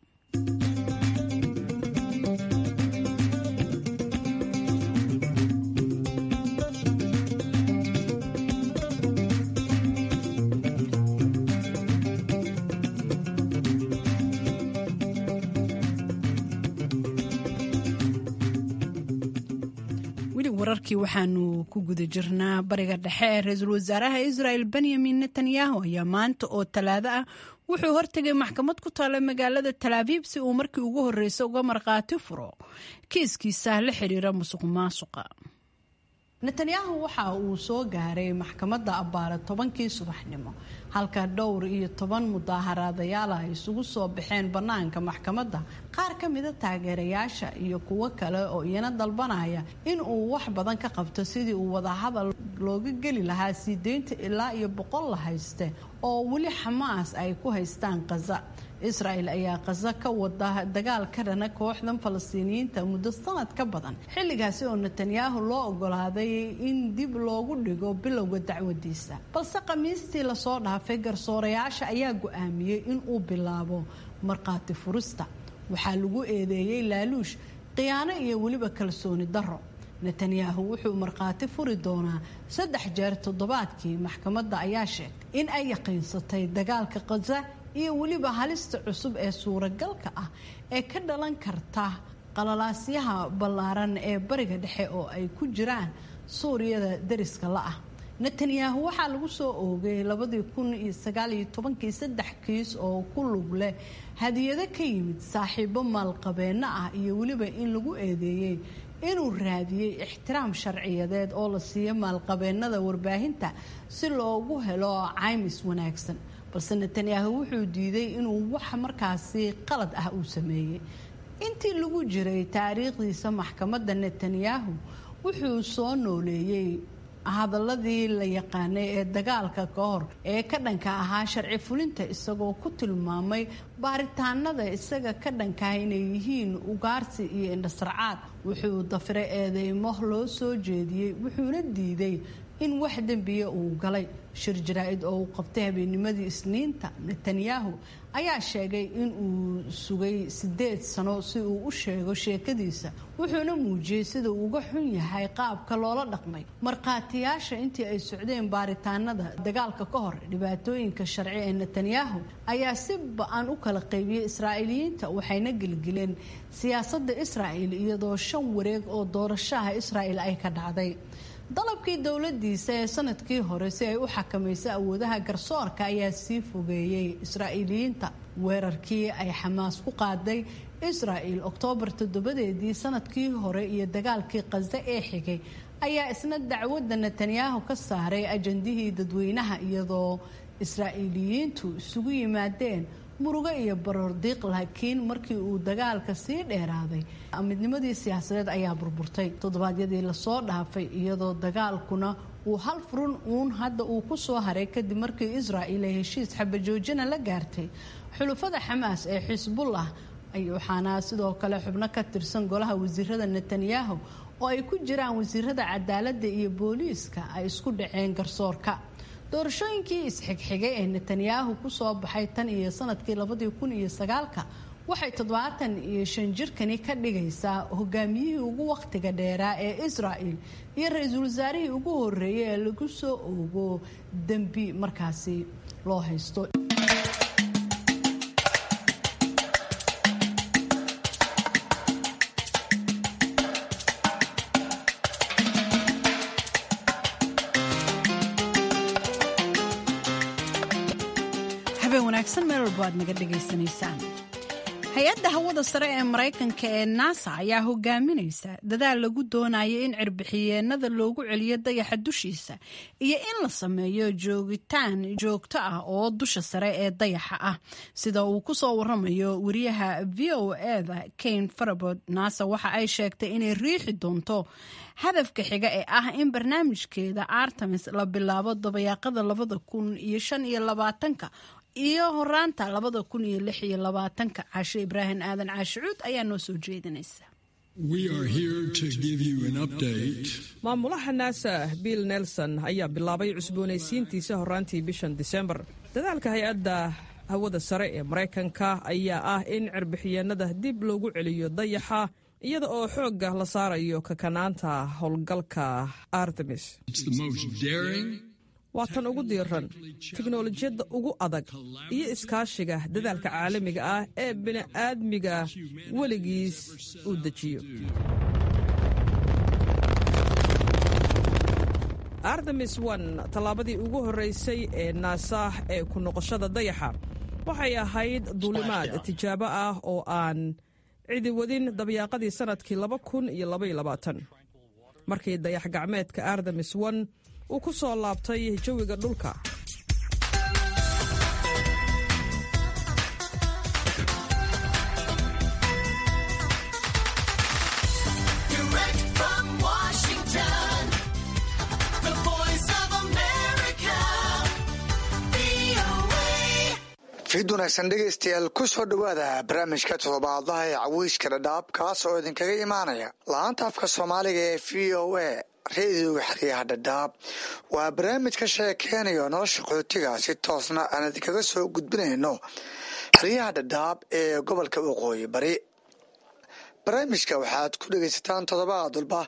Wararkii waxaanu ku guda jirnaa Bariga Dhexe ee ra-iisul wasaaraha Israel Benyamin Netanyahu ayaa maanta oo Talaado ah wuxuu hortegay maxkamad ku taala magaalada Talaabiib si uu markii ugu horreysay uga markhaati furo kiiskiisa la xiriira musuq maasuqa. Netanyahu waxa uu soo gaaray maxkamadda abbaare tobankii subaxnimo, halka dhowr iyo toban mudaaharaadayaal ay isugu soo baxeen bannaanka maxkamadda, qaar ka mida taageerayaasha iyo kuwo kale oo iyana dalbanaya in uu wax badan ka qabto sidii uu wadahadal looga geli lahaa sii deynta ilaa iyo boqol la hayste oo weli Xamaas ay ku haystaan Khaza. Israel ayaa Khaza ka wada dagaal ka dhana kooxdan Falastiiniyiinta muddo sanad ka badan, xilligaasi oo Netanyahu loo ogolaaday in dib loogu dhigo bilowga dacwadiisa. Balse Khamiistii lasoo dhaafay, garsoorayaasha ayaa go-aamiyey in uu bilaabo markhaati furista. Waxaa lagu eedeeyey laaluush, khiyaano iyo weliba kalsooni darro. Netanyahu wuxuu markhaati furi doonaa saddex jeer toddobaadkii. Maxkamadda ayaa sheegtay in ay yaqiinsatay dagaalka Khaza iyo weliba halista cusub ee suuragalka ah ee ka dhalan karta qalalaasyaha ballaaran ee Bariga Dhexe oo ay ku jiraan Suuriyada dariska la-ah. Netanyahu waxaa lagu soo oogay labadii kun iyo sagaal iyo tobankii saddex kiis oo ku lug leh hadiyado ka yimid saaxiibo maalqabeenno ah iyo weliba in lagu eedeeyey inuu raadiyey ixtiraam sharciyadeed oo la siiyo maalqabeennada warbaahinta si loogu helo caymis wanaagsan. Balse Netanyahu wuxuu diiday inuu wax markaasi qalad ah uu sameeyey. Intii lagu jiray taariikhdiisa maxkamadda, Netanyahu wuxuu soo nooleeyey hadaladii la yaqaanay ee dagaalka ka hor ee ka dhanka ahaa sharci fulinta, isagoo ku tilmaamay baaritaanada isaga ka dhankaah inay yihiin ugaarsi iyo indhasarcaad. Wuxuu dafiray eedeymo loo soo jeediyey, wuxuuna diiday in wax dembiya uu galay. Shir jaraa-id oo uu qabtay habeennimadii Isniinta, Netanyahu ayaa sheegay in uu sugay sideed sano si uu u sheego sheekadiisa, wuxuuna muujiyey sida uu uga xun yahay qaabka loola dhaqmay markhaatiyaasha intii ay socdeen baaritaanada dagaalka ka hor. Dhibaatooyinka sharci ee Netanyahu ayaa si ba-an u kala qaybiyey Israa'iiliyiinta, waxayna gelgeleen siyaasadda Israa'il, iyadoo shan wareeg oo doorashaha Israa'il ay ka dhacday. Dalabkii dowladiisa ee sanadkii hore si ay u xakamayso awoodaha garsoorka ayaa sii fogeeyey Israa'iiliyiinta. Weerarkii ay Xamaas ku qaaday Israa'il Oktoobar toddobadeedii sanadkii hore iyo dagaalkii Khaza ee xigay ayaa isna dacwadda Netanyahu ka saaray ajandihii dadweynaha, iyadoo Israa'iiliyiintu isugu yimaadeen murugo iyo baroordiiq. Laakiin markii uu dagaalka sii dheeraaday, midnimadii siyaasadeed ayaa burburtay toddobaadyadii lasoo dhaafay, iyadoo dagaalkuna uu hal furun uun hadda uu ku soo haray kadib markii Israa'il ay heshiis xabajoojina la gaartay xulufada Xamaas ee Xisbullah. Waxaana sidoo kale xubno ka tirsan golaha wasiirada Netanyahu oo ay ku jiraan wasiirada cadaaladda iyo booliiska ay isku dhaceen garsoorka. Doorashooyinkii isxigxigay ee Netanyahu kusoo baxay tan iyo sanadkii labadii kun iyo sagaalka waxay toddobaatan iyo shan jirkani ka dhigaysaa hogaamiyihii ugu wakhtiga dheeraa ee Israa'il iyo ra-iisul wasaarihii ugu horeeyay ee lagu soo oogo dembi markaasi loo haysto. Habeen wanaagsan meel walbo aad naga dhegaysanaysaan. Hay-adda hawada sare ee Maraykanka ee NASA ayaa hogaaminaysa dadaal lagu doonayo in cirbixiyeenada loogu celiyo dayaxa dushiisa iyo in la sameeyo joogitaan joogto ah oo dusha sare ee dayaxa ah, sida uu ku soo waramayo wariyaha V O E-da Kane Farabod. NASA waxa ay sheegtay inay riixi doonto hadafka xiga ee ah in barnaamijkeeda Artemis la bilaabo dabayaaqada labada kun iyo shan iyo labaatanka iyo horaanta labada kun iyo lix iyo labaatanka. Caashe Ibraahim Aadan Caashicuud ayaa noo soo jeedinaysa. Maamulaha NASA Bill Nelson ayaa bilaabay cusboonaysiintiisa horaantii bishan Disembar. Dadaalka hay-adda hawada sare ee Maraykanka ayaa ah in cirbixiyeenada dib loogu celiyo dayaxa, iyada oo xoogga la saarayo kakanaanta howlgalka Artemis. Waa tan ugu diiran, tiknolojiyadda ugu adag iyo iskaashiga dadaalka caalamiga ah ee bini'aadmiga weligiis uu dejiyo. Artemis one, tallaabadii ugu horraysay ee NASA ee ku noqoshada dayaxa, waxay ahayd duulimaad tijaabo ah oo aan cidi wadin dabyaaqadii sannadkii laba kun iyo labaiyo labaatan. Markii dayax gacmeedka Artemis one uu ku soo laabtay jawiga dhulka. Fiid wanaagsan dhegaystayaal, ku soo dhowaada barnaamijka toddobaadlaha ee caweyska Dhadhaab, kaas oo idinkaga imaanaya laanta afka Soomaaliga ee V O A, reediyoga xeryaha Dhadhaab. Waa barnaamij ka sheekeynayo nolosha qaxootiga, si toosna aan idinkaga soo gudbinayno xeryaha Dhadhaab ee gobolka Waqooyi Bari. Barnaamijka waxaad ku dhegaysataan toddobaad walba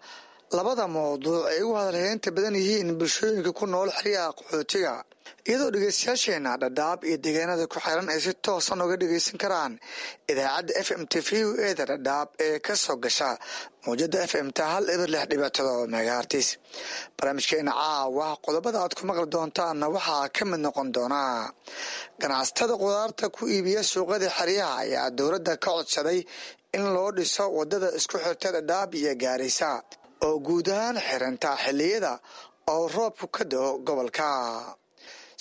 labada mawduuc ay ugu hadalheynta badan yihiin bulshooyinka ku nool xeryaha qaxootiga, iyadoo dhegeystayaasheena Dhadhaab iyo deegaanada ku xiran ay si toosan uga dhegeysan karaan idaacadda F M T V O A da Dhadhaab ee ka soo gasha mawjada F M ta hal eber lix dhibic todoba megahertz. Barnaamijkeena caawa qodobada aad ku maqli doontaanna waxaa ka mid noqon doonaa: ganacsatada qudaarta ku iibiya suuqada xeryaha ayaa dowladda ka codsaday in loo dhiso wadada isku xirta Dhadhaab iyo Gaarisa oo guud ahaan xiranta xilliyada oo roobku ka da'o gobolka.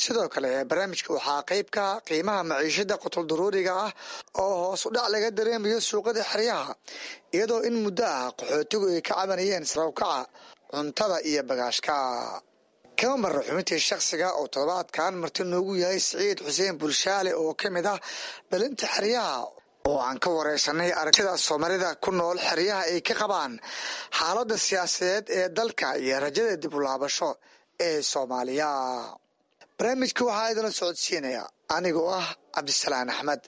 Sidoo kale barnaamijka waxaa qayb ka qiimaha maciishada qutul daruuriga ah oo hoos u dhac laga dareemayo suuqada xeryaha, iyadoo in muddo ah qaxootigu ay ka cabanayeen sare u kaca cuntada iyo bagaashka. Kama marra xubintii shakhsiga oo toddobaadkan marti noogu yahay Siciid Xuseen Bulshaale oo ka mid ah dhalinta xeryaha, oo aan ka wareysanay aragtida Soomaalida ku nool xeryaha ay ka qabaan xaaladda siyaasadeed ee dalka iyo rajada dib u laabasho ee Soomaaliya. Barnaamijka waxaa idinla socodsiinaya anigoo ah Cabdisalaan Axmed.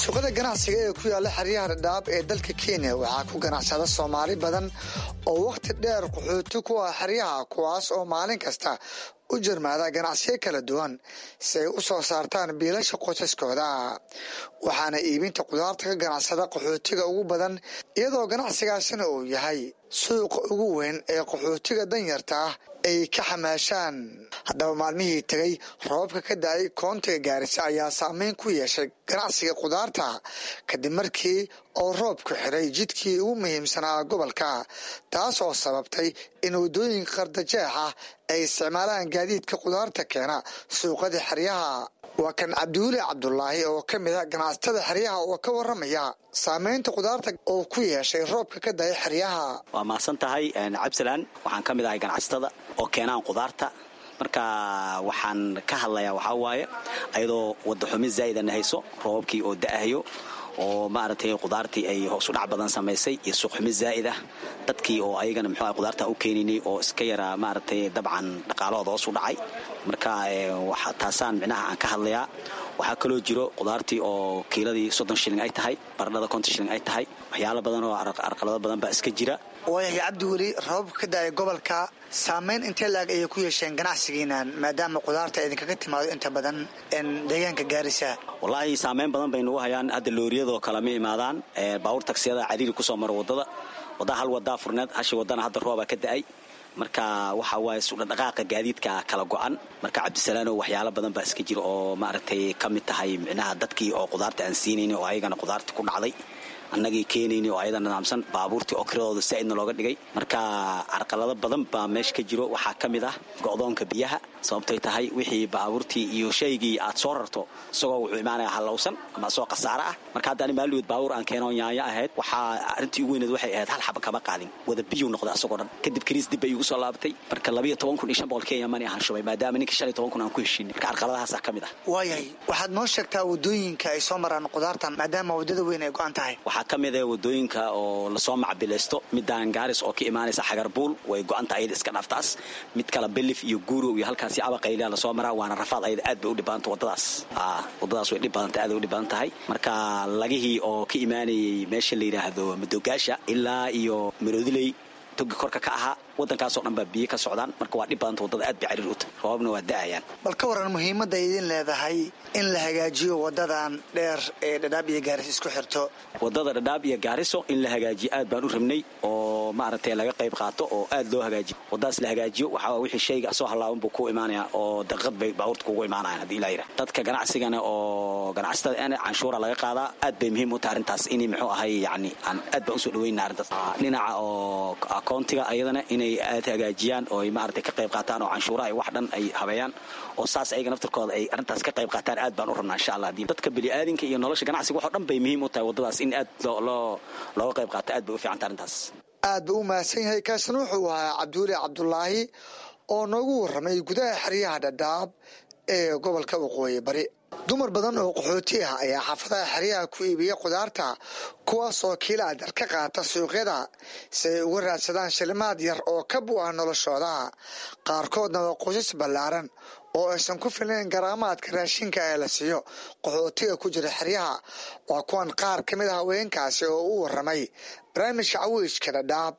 Suuqada ganacsiga ee ku yaala xeryaha Dhadhaab ee dalka Kenya waxaa ku ganacsada Soomaali badan oo wakhti dheer qaxooti ku ah xeryaha, kuwaas oo maalin kasta u jarmaada ganacsiyo kala duwan si ay u soo saartaan biilasha qoysaskooda. Waxaana iibinta qudaarta ka ganacsada qaxootiga ugu badan, iyadoo ganacsigaasina uu yahay suuqa ugu weyn ee qaxootiga danyarta ah ay ka xamaashaan. Haddaba, maalmihii tegay roobabka ka da'ay koontiga Gaarisa ayaa saameyn ku yeeshay ganacsiga qudaarta, kadib markii oo roobku xiray jidkii ugu muhiimsanaa gobolka, taas oo sababtay in waddooyinka qardajeex ah ay isticmaalaan gaadiidka qudaarta keena suuqada xeryaha. Waa kan Cabdiweli Cabdulaahi oo ka mid ah ganacsatada xeryaha oo ka waramaya saameynta qudaarta oo ku yeeshay roobka ka da'ay xeryaha. Waa mahadsan tahay, Cabdisalaan. Waxaan ka mid ahay ganacsatada oo keenaan qudaarta. Marka waxaan ka hadlayaa waxaa waaye, ayadoo wadaxumi zaa'idana hayso, roobabkii oo da'ahayo oo maaragtay qudaartii ay hoos u dhac badan samaysay iyo suuqxumi zaa'id ah, dadkii oo ayagana muxuu qudaarta u keeninay oo iska yaraa, maaragtay, dabcan dhaqaalahooda hoos u dhacay. Marka taasaan micnaha aan ka hadlayaa. Waxaa kaloo jiro qudaartii oo kiiladii soddon shilling ay tahay, baradhada konton shilling ay tahay. Waxyaalo badan oo arqalado badan baa iska jira. Waayahay Cabdiweli, roobabka ka da'ay gobolka saameyn intee la'eg ayay ku yeesheen ganacsigiinan, maadaama qudaarta idinkaga timaado inta badan deegaanka Gaarisa? Wallaahi, saameyn badan bay nagu hayaan. Hadda looriyadoo kale ma imaadaan, baabuur tagsiyada cariiri kusoo maro wadada. Waddaa hal wadaa furneed, hashi wadana hadda roobaa ka da'ay. Marka waxa waaye sudhadhaqaaqa gaadiidka kala go'an. Marka Cabdisalaano, waxyaalo badan baa iska jira oo maaragtay ka mid tahay micnaha dadkii oo qudaarta aan siinayni oo ayagana qudaarta ku dhacday, annagii keenayni oo ayada nidaamsan, baabuurtii oo kiradooda saa'idna looga dhigay. Marka carqalado badan baa meesha ka jiro. Waxaa ka mid ah go'doonka biyaha, sababtay tahay wixii baabuurtii iyo shaygii aad soo rarto isagoo wuxuu imaanaya hallowsan ama isagoo khasaare ah. Marka hadda ani maalweed baabuur aan keeno yaanyo ahayd, waxaa arrintii ugu weyneed waxay ahayd hal xaba kama qaadin, wada biyuu noqday asagoo dhan. Kadib kariis dib bay iigu soo laabatay. Marka labiyo toban kun iyo shan boqol Kenya money ahaan shubay, maadaama ninka shan iyo toban kun aan ku heshiinay. Marka carqaladahaasaa ka mid ah. Waayahay, waxaad noo sheegtaa waddooyinka ay soo maraan qudaartan, maadaama waddada weyn ay go'an tahay. Waxaa ka mid ah wadooyinka oo lasoo macbilaysto, midaan Gaaris oo ka imaanaysa Xagarbuul way go'anta, ayada iska dhaaftaas. Mid kale Belif iyo Guurow iyo halkaasi Abaqaylia lasoo maraa, waana rafaad, ayada aad bay u dhib badanta wadadaas. Wadadaas way dhib badanta, aad bay u dhib badan tahay. Marka lagihii oo ka imaanayay meesha la yidhaahdo Madogaasha ilaa iyo Maroodiley Togi korka ka ahaa wadankaasoo dhan baa biyo ka socdaan. Marka waa dhib badanta, waddada aad bay cariir u tahay, roobabna waa da'ayaan. Bal ka waran muhiimadda idin leedahay in la hagaajiyo wadadan dheer ee Dhadhaab iyo Gaariso isku xirto? Wadada Dhadhaab iyo Gaariso in la hagaajiyo aad baan u rabnay, oo maaragtay laga qayb qaato oo aad loo hagaajiyo wadadaas la hagaajiyo. Waxaa wixii shayga soo halaaban buu ku imaanaya oo daqiiqad bay baabuurta kugu imaanayaan haddii ilaa yidhaah. Dadka ganacsigana oo ganacsatada ana canshuura laga qaadaa, aad bay muhiim u tahay arrintaas inay muxuu ahay yacni aan aad baan usoo dhaweynaa arrintaas. Dhinaca oo akoontiga ayadana inay aad hagaajiyaan oo ay maaragtay ka qayb qaataan oo canshuuraha iyo wax dhan ay habeeyaan oo saas ayaga naftarkooda ay arrintaas ka qayb qaataan, aad baan u rabnaa insha Allah. Dadka bini'aadinka iyo nolosha ganacsiga waxoo dhan bay muhiim u tahay waddadaas in aad loo looga qayb qaato, aad bay u fiican tahay arrintaas. Aad buu u mahadsan yahay. Kaasna wuxuu ahaa Cabduuli Cabdulaahi oo noogu warramay gudaha xeryaha Dhadhaab ee gobolka Waqooyi Bari. Dumar badan oo qaxooti ah ayaa xaafadaha xeryaha ku iibiya khudaarta, kuwaasoo kiila adar ka qaata suuqyada si ay uga raadsadaan shilimaad yar oo ka bu'ah noloshooda. Qaarkoodna waa qoysas ballaaran oo aysan ku filnayn garaamaadka raashinka ee la siiyo qaxootiga ku jira xeryaha. Waa kuwan qaar ka mid ah haweenkaasi oo u warramay barnaamijka Caweyska Dhadhaab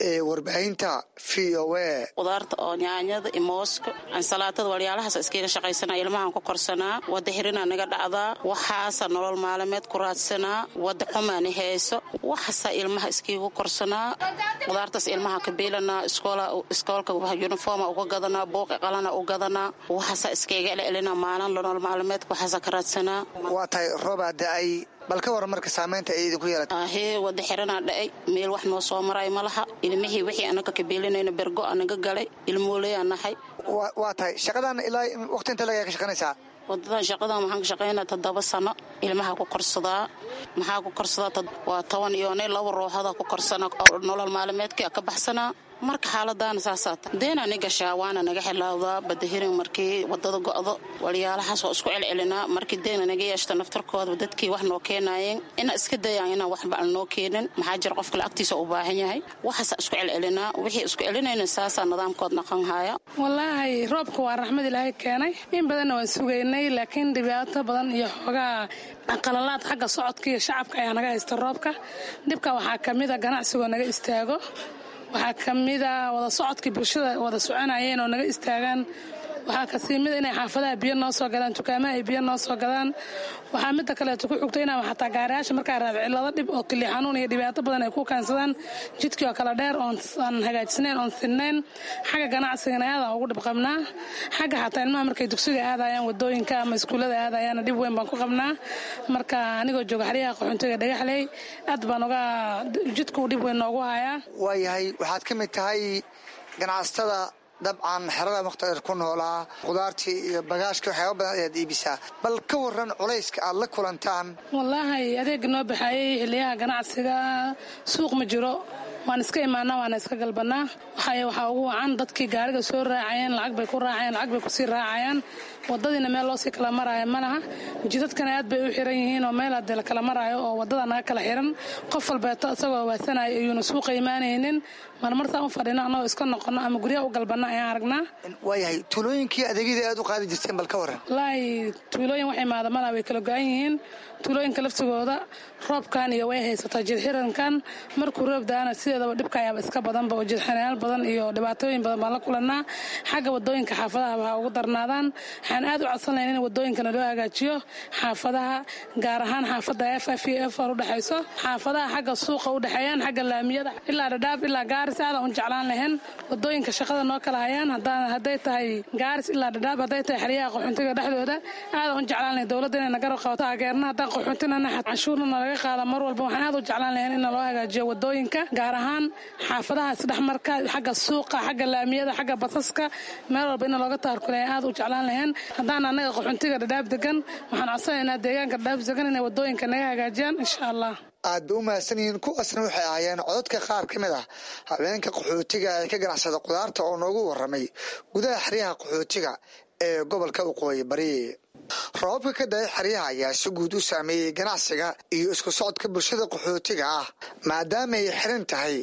ee warbaahinta V O A. Qudaarta oo nyaanyada iyo mooska, ansalaatada, walyaalahaas iskaga shaqaysanaa, ilmahan ku korsanaa. Wada xirina naga dhacdaa, waxaasa nolol maalameed ku raadsanaa. Wada xumaani hayso, waxaasa ilmaha iskaga korsanaa. Qudaartaas ilmaha ka biilanaa, iskoolka uniforma uga gadanaa, buuqi qalana u gadanaa, waxaasa iskaga celcelinaa maalin nolol maalameedka waxaasa ka raadsanaa. Waa tahay, roobaa da-ay, bal ka waran marka saamaynta ay idinku yeelatay? Ahee, wada xiranaa dha'ay, meel wax noo soo maray ma laha. Ilmihii wixii anaga kabeelinayna bergo anaga galay, ilmooley nahay. Waa tahay, shaqadan ilaa waqti inta lagaa ka shaqaynaysaa? Wadadan shaqadan waxaan ka shaqaynaa toddoba sano. Ilmaha ku korsadaa, maxaa ku korsadaa? Waa toban iyo ne laba ruuxoda ku korsana, nolol maalimeedka ka baxsanaa. Marka xaaladaana saasaa ta deena ni gashaa, waana naga xilaawdaa badahirin markii wadada go'do. Walyaalahaas waa isku celcelinaa. Markii deena naga yeeshta naftarkooda, dadkii wax noo keenaayeen ina iska dayaan inaan waxba aan noo keenin. Maxaa jira, qofka lacagtiisa u baahan yahay. Waxaasaa isku celcelinaa, wixii isku celinayna saasaa nidaamkood naqan haya. Wallaahi roobka waa raxmad Ilaahay keenay, in badanna waan sugaynay, laakiin dhibaato badan iyo xoogaa qalalaad xagga socodka iyo shacabka ayaa naga haysta roobka. Dhibka waxaa ka mid a ganacsigoo naga istaago, waxaa ka mida wada socodkii bulshada wada soconayeen oo naga istaagaan, waxaa kasii mida inay xaafadaha biyo noo soo galaan, dukaamaha ay biyo noo soo gadaan. Waxaa mida kaleeto ku xigto inaa xataa gaariyaasha markaa raad cilado dhib oo kili xanuun iyo dhibaato badan ay ku keensadaan, jidkii oo kala dheer oon aan hagaajisnayn oon sinnayn. Xagga ganacsigana aadaan ugu dhib qabnaa. Xagga xataa ilmaha markay dugsiga aadayaan wadooyinka ama iskuullada aadayaana dhib weyn baan ku qabnaa. Marka anigoo jooga xeryaha qaxoontiga Dhagaxley, aad baan uga jidkuu dhib weyn noogu hayaa. Waayahay, waxaad ka mid tahay ganacsatada dabcan xerada mukhtarir ku noolaa, khudaartii iyo bagaashka waxyaaba badan ayaad iibisaa. Bal ka waran culayska aad la kulantaan? Wallaahi adeega noo baxaayay xiliyaha ganacsiga suuq ma jiro, waan iska imaanaa, waana iska galbanaa. Waxay waxaa ugu wacan dadkii gaariga soo raacayeen lacag bay ku raacayeen, lacag bay kusii raacayaan. Wadadiina meel loosii kala maraayo ma laha, jidadkana aad bay u xiran yihiin oo meel hadee la kala maraayo oo wadada naga kala xiran. Qof walbeeto isagoo waasanayo ayuuna suuqa imaanaynin. Marmartaan u fadhino annagoo iska noqono ama guryaha u galbanna ayaan aragnaa. Waayahay, tuulooyinkii adeegyadii aad u qaadi jirteen bal ka waran? Wallaahi tuulooyin wax imaada malaha, way kala go-an yihiin tuulooyinka laftigooda. Roobkan iyo way haysataa jidxirankan, markuu roob da-ana sideedaba dhibka ayaaba iska badanba oo jidxirayaal badan iyo dhibaatooyin badan baan la kulannaa. Xagga wadooyinka xaafadaha waxaa ugu darnaadaan. Waxaan aad u codsan lahayn in wadooyinkana loo hagaajiyo xaafadaha, gaar ahaan xaafadda f f iyo f r udhexayso, xaafadaha xagga suuqa u dhexeeyaan, xagga laamiyada ilaa Dhadhaab ilaa Gaaris. Aadaan u jeclaan lahayn wadooyinka shaqada noo kala hayaan, hadday tahay Gaaris ilaa Dhadhaab, hadday tahay xeryaha qaxoontiga dhexdooda. Aadaan u jeclaan lahayn dowladda inay nagarab qabato taageerna. Haddaan qaxoontinana canshuurna nalaga qaada mar walba. Waxaan aad u jeclaan lahayn in naloo hagaajiyo wadooyinka, gaar ahaan xaafadaha isdhexmarka, xagga suuqa, xagga laamiyada, xagga basaska, meel walba in looga taarkulaya aad u jeclaan lahayn. Haddaan annaga qaxoontiga Dhadhaab degan, waxaan codsanaynaa deegaanka Dhadhaab degan inay wadooyinka naga hagaajiyaan insha Allah. Aad bay u mahadsan yihiin. Kuwaasna waxay ahaayeen cododka qaar ka mid ah haweenka qaxootiga ee ka ganacsada khudaarta oo noogu warramay gudaha xeryaha qaxootiga ee gobolka Waqooyi Bari. Roobabka ka da-ay xeryaha ayaa si guud u saameeyey ganacsiga iyo isku socodka bulshada qaxootiga ah, maadaama ay xiran tahay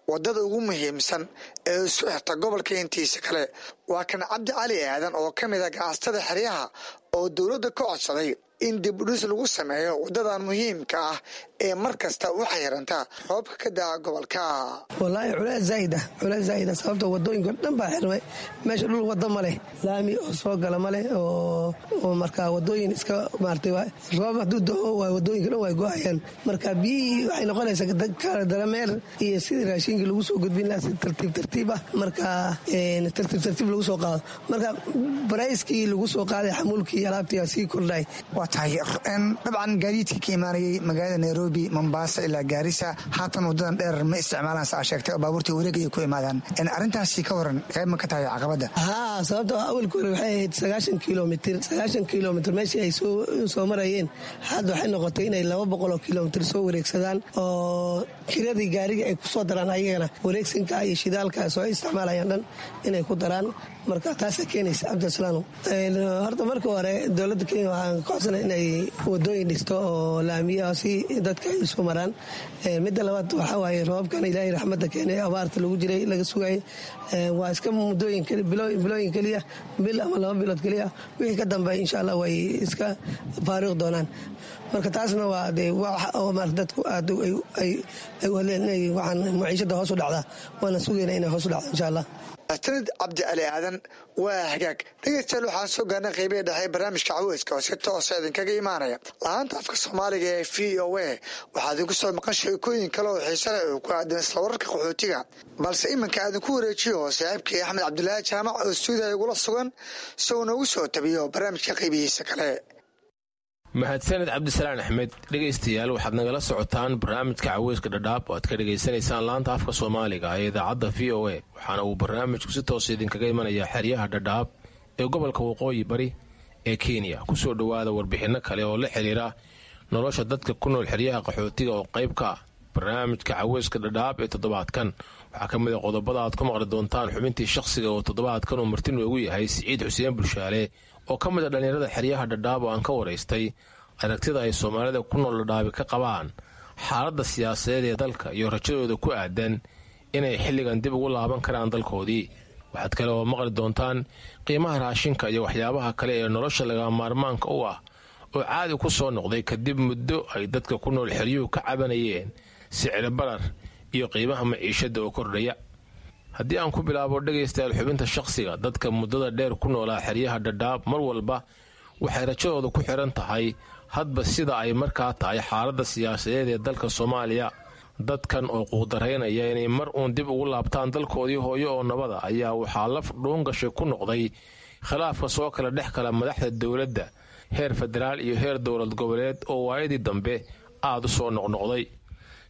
waddada ugu muhiimsan ee isku xirta gobolka intiisa kale. Waa kan Cabdi Cali Aadan oo ka mid ah ganacsatada xeryaha oo dowladda ka codsaday In dib udhis lagu sameeyo wadadan muhiimka ah ee mar kasta u xayiranta roobka ka daa gobolka. Wallaahi culays zaa'id ah, culays zaa'id ah, sababta wadooyinka dhan baa xirmay. Meesha dhul wada ma leh, laami oo soo gala ma leh, oo oo marka wadooyin iska maartay roob hadduu da'o waa wadooyinka dhan way go'ayaan. Marka biyihii waxay noqonaysaa kala darameer iyo sidii raashinkii lagu soo gudbin lahaa si tartiib tartiib ah, marka tartiib tartiib lagu soo qaado. Marka barayskii lagu soo qaaday xamuulkii alaabtii sii kordhay. Waa tahay, dabcan gaadiidka ka imaanayay magaalada Nairobi, Mombasa ilaa Gaarisa haatan wadadan dheer ma isticmaalaan, sa aa sheegtay, oo baabuurtii wareegaya ku imaadaan. Arrintaasi ka waran, qayb ma ka tahay caqabadda? Haa, sababta awalka hore waxay ahayd sagaashan kilomitir. Sagaashan kilomitir meeshii ay soo marayeen, hadda waxay noqotay inay laba boqol oo kilomitir soo wareegsadaan, oo kiradii gaariga ay kusoo daraan, ayagana wareegsanka iyo shidaalka soo isticmaalayaan dhan inay ku daraan. Marka taasaa keenaysa. Cabdisalaano, horta marka hore dowladda Kenya waxaan ka codsanay inay wadooyin dhisto oo laamiya si dadka ay isu maraan. Midda labaad waxaa waaye roobabkan Ilaahay raxmadda keenay, abaarta lagu jiray laga sugayay, waa iska muddooyin, bilooyin keliya, bil ama laba bilood keliya. Wixii ka dambeeya insha Allah way iska faaruqi doonaan. Marka taasna waa dee wax oo maarata dadku aad ay u hadleen inay waxaan maciishada hoos u dhacdaa, waana sugayna inay hoos u dhacdo insha Allah. Sanad Cabdi Cali Aadan. Waa hagaag, dhegeystayaal, waxaan soo gaarnay qeybihii dhexe barnaamijka caweyska oo si toosa idinkaga imaanaya lahaanta afka Soomaaliga ee V O A. Waxaa idinku soo maqan sheekooyin kale oo xiise leh oo ku aadan isla wararka qaxootiga, balse iminka idinku wareejiyo saaxiibkii Axmed Cabdulaahi Jaamac oo stuudiya igula sugan si uu noogu soo tabiyo barnaamijka qeybihiisa kale. Mahadsaned Cabdisalaan Axmed. Dhegaystayaal, waxaad nagala socotaan barnaamijka caweyska Dhadhaab oo aad ka dhegaysanaysaan laanta afka Soomaaliga ee idaacadda V O A, waxaana uu barnaamijku si toosa idinkaga imanayaa xeryaha Dhadhaab ee gobolka Waqooyi Bari ee Kenya. Kusoo dhowaada warbixinno kale oo la xiriira nolosha dadka ku nool xeryaha qaxootiga oo qayb ka ah barnaamijka caweyska Dhadhaab ee toddobaadkan. Waxaa ka mid a qodobada aad ku maqli doontaan xubintii shakhsiga oo toddobaadkan uu marti noogu yahay Siciid Xuseen Bulshaale oo ka mid a dhallinyarada xeryaha Dhadhaab oo aan ka waraystay aragtida ay Soomaalida ku nool Dhadhaabi ka qabaan xaaladda siyaasadeed ee dalka iyo rajadooda ku aadan inay xilligan dib ugu laaban karaan dalkoodii. Waxaad kale oo maqli doontaan qiimaha raashinka iyo waxyaabaha kale ee nolosha lagama maarmaanka u ah oo caadi ku soo noqday kadib muddo ay dadka ku nool xeryuhu ka cabanayeen sicir barar iyo qiimaha maciishada oo kordhaya. Haddii aan ku bilaabo, dhegaystayaal, xubinta shakhsiga, dadka muddada dheer ku noolaa xeryaha Dhadhaab mar walba waxay rajadooda ku xiran tahay hadba sida ay markaa tahay xaaladda siyaasadeed ee dalka Soomaaliya. Dadkan oo quudaraynaya inay mar uun dib ugu laabtaan dalkoodii hooyo oo nabada ayaa waxaa laf dhuungashay ku noqday khilaafka soo kala dhex kala madaxda dowladda heer federaal iyo heer dowlad goboleed oo waayadii dambe aada u soo noqnoqday.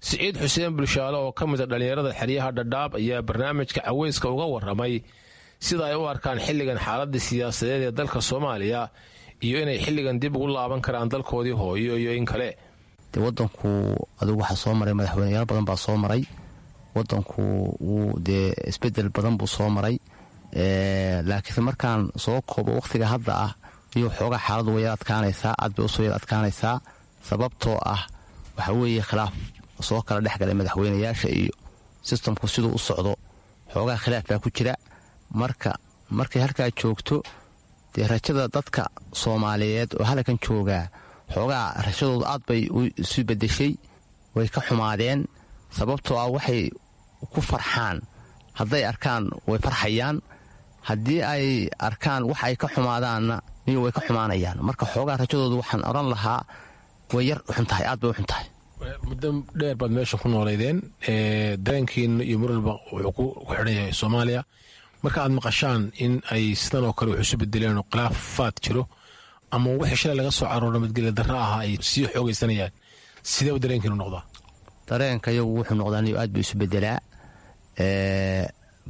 Siciid Xuseen Bulshaale oo ka mid a dhallinyarada xeryaha Dhadhaab ayaa barnaamijka caweyska uga waramay sida ay u arkaan xilligan xaaladda siyaasadeed ee dalka Soomaaliya iyo inay xilligan dib ugu laaban karaan dalkoodii hooyo iyo in kale. Dee wadanku adigu waxaa soo maray madaxweyneyaal badan baa soo maray. Wadanku wuu dee isbedel badan buu soo maray, laakiinse markaan soo koobo wakhtiga hadda ah iyo xoogaa xaaladu way yar adkaanaysaa, aad bay usoo yar adkaanaysaa, sababtoo ah waxa weeye khilaaf soo kala dhex galay madaxweyneyaasha iyo systemku siduu u socdo, xoogaa khilaaf baa ku jira. Marka markay halkaa joogto, dee rajada dadka Soomaaliyeed oo halkan joogaa xoogaa rajadoodu aad bay isu bedeshay, way ka xumaadeen, sababtoo ah waxay ku farxaan hadday arkaan way farxayaan, haddii ay arkaan wax ay ka xumaadaanna niyo way ka xumaanayaan. Marka xoogaa rajadoodu waxaan odhan lahaa way yar xun tahay, aad bay u xun tahay. Muddo dheer baad meesha ku nooleydeen, dareenkiina iyo mar walba wuxuu ku xidhan yahay Soomaaliya. Marka aad maqashaan in ay sidan oo kale wax isu bedeleen oo khilaafaad jiro ama wixii shalay laga soo caroor nabadgelya darra ahaa ay sii xoogaysanayaan, sideeba dareenkiinu noqdaa? Dareenka iyagu wuxuu noqdaa niyo aad buu isu bedelaa,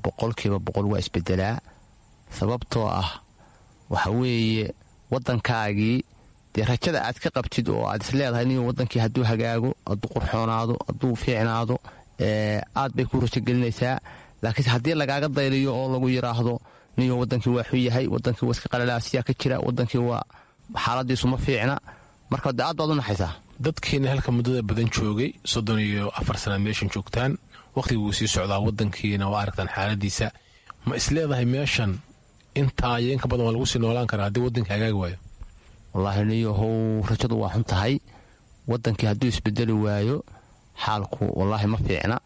boqolkiiba boqol waa isbedelaa, sababtoo ah waxa weeye waddankaagii dee rajada aad ka qabtid oo aad is leedahay niyo waddankii hadduu hagaago, hadduu qurxoonaado, hadduu fiicnaado, aad bay ku rajogelinaysaa. Laakiinse haddii lagaaga dayliyo oo lagu yidhaahdo niyo waddankii waa xun yahay, waddankii waa iska qalalaasiyaa ka jira, waddankii waa xaaladiisu ma fiicna, marka de aad baad u naxaysaa. Dadkiina halka muddada badan joogay, soddon iyo afar sanaad meeshan joogtaan, wakhtiga wuu sii socdaa, waddankiina waa aragtaan xaaladiisa. Ma is leedahay meeshan intaa iyo inka badan waa lagu sii noolaan karaa haddii waddanka hagaagi waayo? Wallaahi niyahow, rajadu waa xun tahay. Wadankii hadduu isbedeli waayo, xaalku wallaahi ma fiicna.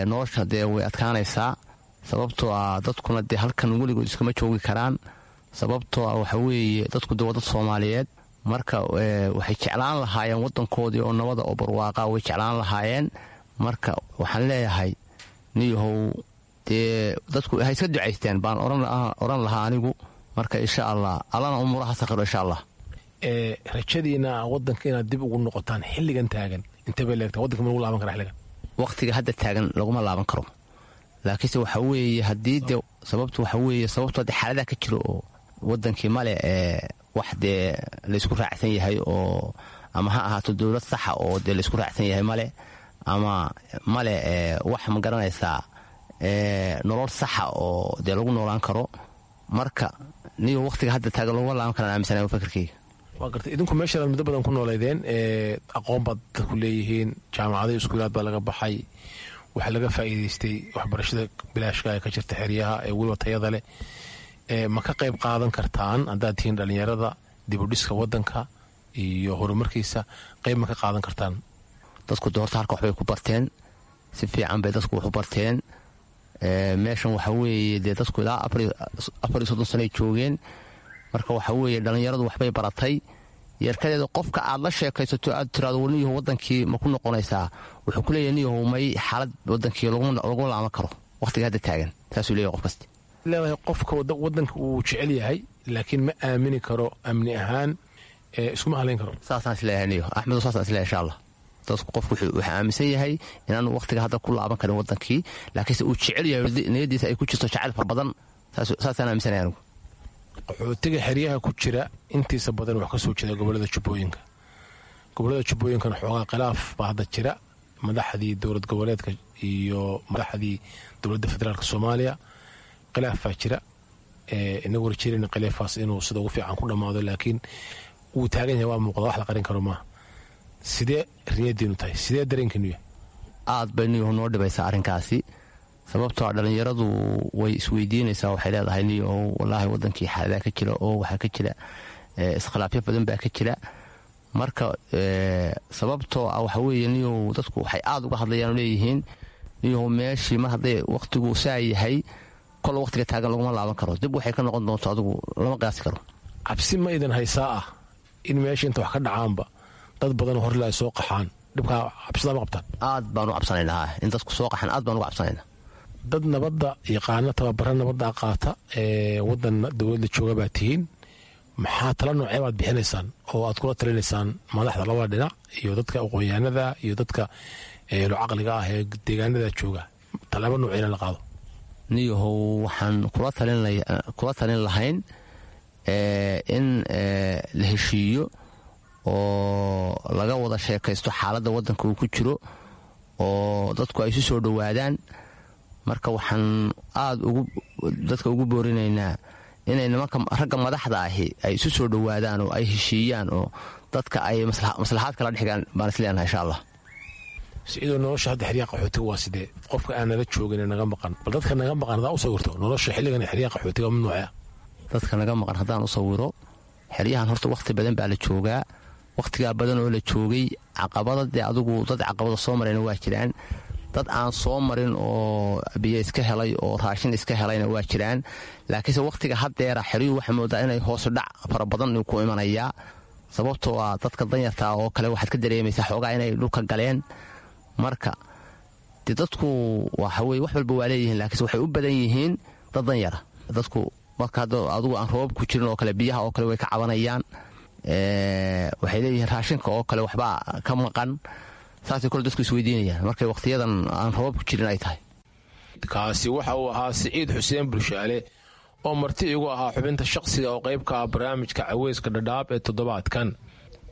Nolosha dee way adkaanaysaa, sababtoo ah dadkuna dee halkan weligood iskama joogi karaan, sababtoo ah waxa weeye dadku dee waa dad Soomaaliyeed. Marka waxay jeclaan lahaayeen wadankoodii oo nabada oo barwaaqa way jeclaan lahaayeen. Marka waxaan leeyahay niyahow, dee dadku ha iska ducaysteen baan odhan lahaa anigu. Marka insha Allah, Allana umuuraha sakhiro, insha Allah. Rajadiina wadanka inaad dib ugu noqotaan xilligan taagan intee bay leegtaa? Wadanka ma lagu laaban kara xilligan? Waqtiga hadda taagan laguma laaban karo, laakiinse waxa weeye haddii dee sababtu waxa weeye sababtu hadde xaaladaha ka jiro oo wadankii male ee wax dee laysku raacsan yahay oo ama ha ahaato dowlad saxa oo dee laysku raacsan yahay male, ama male wax ma garanaysaa nolol saxa oo dee lagu noolaan karo. Marka niyo waqtiga hadda taagan laguma laaban karaan aaminsanayo fikirkeyga. Waa gartay. Idinku meeshaan muddo badan ku nooleydeen, aqoon baad dadku leeyihiin, jaamacado, iskuulaad baa laga baxay, waxaa laga faa'iidaystay waxbarashada bilaashka ee ka jirta xeryaha ee weliba tayada leh. Ma ka qayb qaadan kartaan haddaad tihiin dhallinyarada dibudhiska wadanka iyo horumarkiisa? Qayb ma ka qaadan kartaan? Dadku de horta halka waxbay ku barteen, si fiican bay dadku wax u barteen. Meeshan waxa weeye dee dadku ilaa afar iyo soddon sanoay joogeen. Marka waxa weeye dhallinyaradu waxbay baratay. Yeerkadeeda qofka aad la sheekaysato, aad tiraado warniyaho wadankii ma ku noqonaysaa, wuxuu ku leeyahy niyahow may, xaalad wadankii laguma laaman karo waqtiga hadda taagan, saasuu leeyahy qof kasta. Leedahay qofka wadanka uu jecel yahay, laakiin ma aamini karo amni ahaan, iskuma halayn karo. Saasaan isleeyahay niyo Axmed, saasaan isleeyahay, insha Allah. Dadku qofku wuxuu aaminsan yahay inaanu waqtiga hadda ku laaban karin wadankii, laakiinse uu jecel yahay, niyadiisa ay ku jirto jacayl fara badan. Saasaan aaminsanaya anigu. Qaxootiga xeryaha ku jira intiisa badan wax ka soo jeeda gobolada Jubbooyinka. Gobolada Jubbooyinkana xoogaa khilaaf baa hadda jira, madaxdii dowlad goboleedka iyo madaxdii dowladda federaalka Soomaaliya khilaaf baa jira. Inagu rajeynayna khilaafaas inuu sida ugu fiican ku dhammaado, laakiin wuu taagan yahay, waa muuqda, wax la qarin karo maaha. Sidee riyadiinu tahay? Sidee dareenkiinu yahay? Aad bay niyahu noo dhibaysaa arrinkaasi, sababtoo dhallinyaradu way isweydiinaysaa. Waxay leedahay niyahow, wallaahi wadankii xaaladaa ka jira oo waxaa ka jira iskhilaafyo badan baa ka jira. Marka sababtoo ah waxa weeye niyahow, dadku waxay aada uga hadlayaan oo leeyihiin niyahow, meeshii mar hadday waqtigu saa yahay, kolla waqtiga taagan laguma laaban karo. Dib waxay ka noqon doonto adigu lama qiyaasi karo. Cabsi ma idan haysaa ah in meesha inta wax ka dhacaanba dad badan horla ay soo qaxaan? Dhibkaa cabsidaa ma qabtaan? Aad baan u cabsanaynaa in dadku soo qaxaan, aad baan uga cabsanaynaa. Dad nabadda yaqaana, tababara nabadda qaata ee wadan dowladda jooga baa tihiin. Maxaa tala noocee baad bixinaysaan oo aad kula talinaysaan madaxda labada dhinac iyo dadka aqoon-yahanada iyo dadka eelo caqliga ah ee deegaanada jooga? Talaabo nooceyna la qaado? Niyahow, waxaan kula talin lahayn in la heshiiyo oo laga wada sheekaysto xaaladda waddanka uu ku jiro oo dadku ay isu soo dhowaadaan. Marka waxaan aada ugu dadka ugu boorinaynaa inay nimanka ragga madaxda ahi ay isu soo dhowaadaan oo ay heshiiyaan oo dadka ay maslaxaad kala dhexgaan baan isleenahay, insha Allah. Siciidoo, nolosha hadda xeryaha qaxootiga waa sidee? Qofka aan nala joogin ee naga maqan, bal dadka naga maqan haddaan u sawirto nolosha xilligan xeryaha qaxootiga mid noocea? Dadka naga maqan haddaan u sawiro xeryahan, horta wakhti badan baa la joogaa. Wakhtigaa badan oo la joogay, caqabada dee adigu dad caqabada soo marayna waa jiraan, dad aan soo marin oo biyo iska helay oo raashin iska helayna waa jiraan. Laakiinse wakhtiga haddeera xeryuhu waxaa moodaa inay hoosu dhac fara badan ku imanayaa, sababtoo ah dadka danyartaa oo kale waxaad ka dareemaysaa xoogaa inay dhulka galeen. Marka dee dadku waxaweye wax walba waa leeyihiin, laakiinse waxay u badan yihiin dad danyara dadku. Marka hadda adigu aan roobab ku jirin oo kale, biyaha oo kale way ka cabanayaan. Waxay leeyihiin raashinka oo kale waxbaa ka maqan. Saasay kole dadku isweydiinayaan markay wakhtiyadan aan roobab ku jirin ay tahay. Kaasi waxa uu ahaa Siciid Xuseen Bulshaale oo marti igu ahaa xubinta shaqsiga oo qayb ka ah barnaamijka Caweyska Dhadhaab ee toddobaadkan.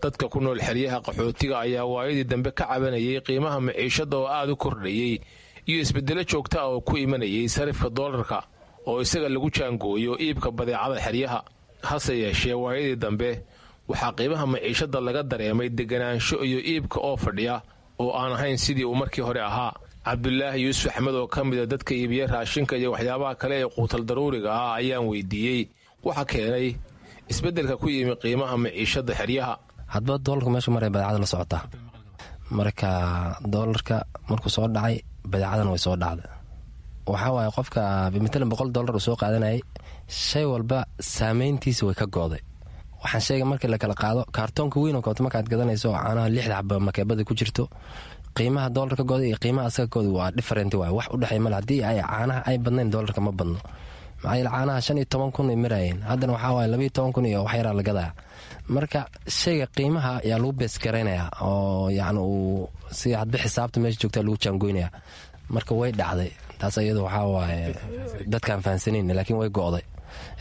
Dadka ku nool xeryaha qaxootiga ayaa waayadii dambe ka cabanayay qiimaha maciishadda oo aad u kordhayey iyo isbeddelo joogta ah oo ku imanayay sarifka doolarka oo isaga lagu jaangooyo iibka badeecada xeryaha. Hase yeeshee, waayadii dambe waxaa qiimaha maciishadda laga dareemay deganaansho iyo iibka oo fadhiya oo aan ahayn sidii uu markii hore ahaa. Cabdulaahi Yuusuf Axmed oo ka mida dadka iibiya raashinka iyo waxyaabaha kale ee quutal daruuriga ah ayaan weydiiyey waxa keenay Isbeddelka ku yimi qiimaha maciishada xeryaha. Hadba doolarka meeshu maray badeecada la socotaa. Marka doolarka markuu soo dhacay, badeecadana way soo dhacday. Waxaa waaye, qofka matalan boqol doolar uu soo qaadanayay, shay walba saameyntiisa way ka go'day. Waxaan sheegay, markii la kala qaado kaartoonka weyn oo kaleto, markaad gadanayso oo caanaha lixda xaba makeebada ku jirto, qiimaha doolarka go'day iyo qiimaha asaga go'day waa different waay. Wax u dhexeey male. Haddii ay caanaha ay badnayn, doolarka ma badno. Maxaa yeele, caanaha shan iyo toban kun ay maraayeen, haddana waxaa waaye labaiyo toban kun iyo wax yaraa la gadaya. Marka shayga qiimaha yaa lagu beesgaraynayaa oo yacni uu si hadba xisaabta meesha joogtaa lagu jaangoynaya. Marka way dhacday taas iyadu. Waxaa waaye dadkaan fahansanayn, laakiin way go'day.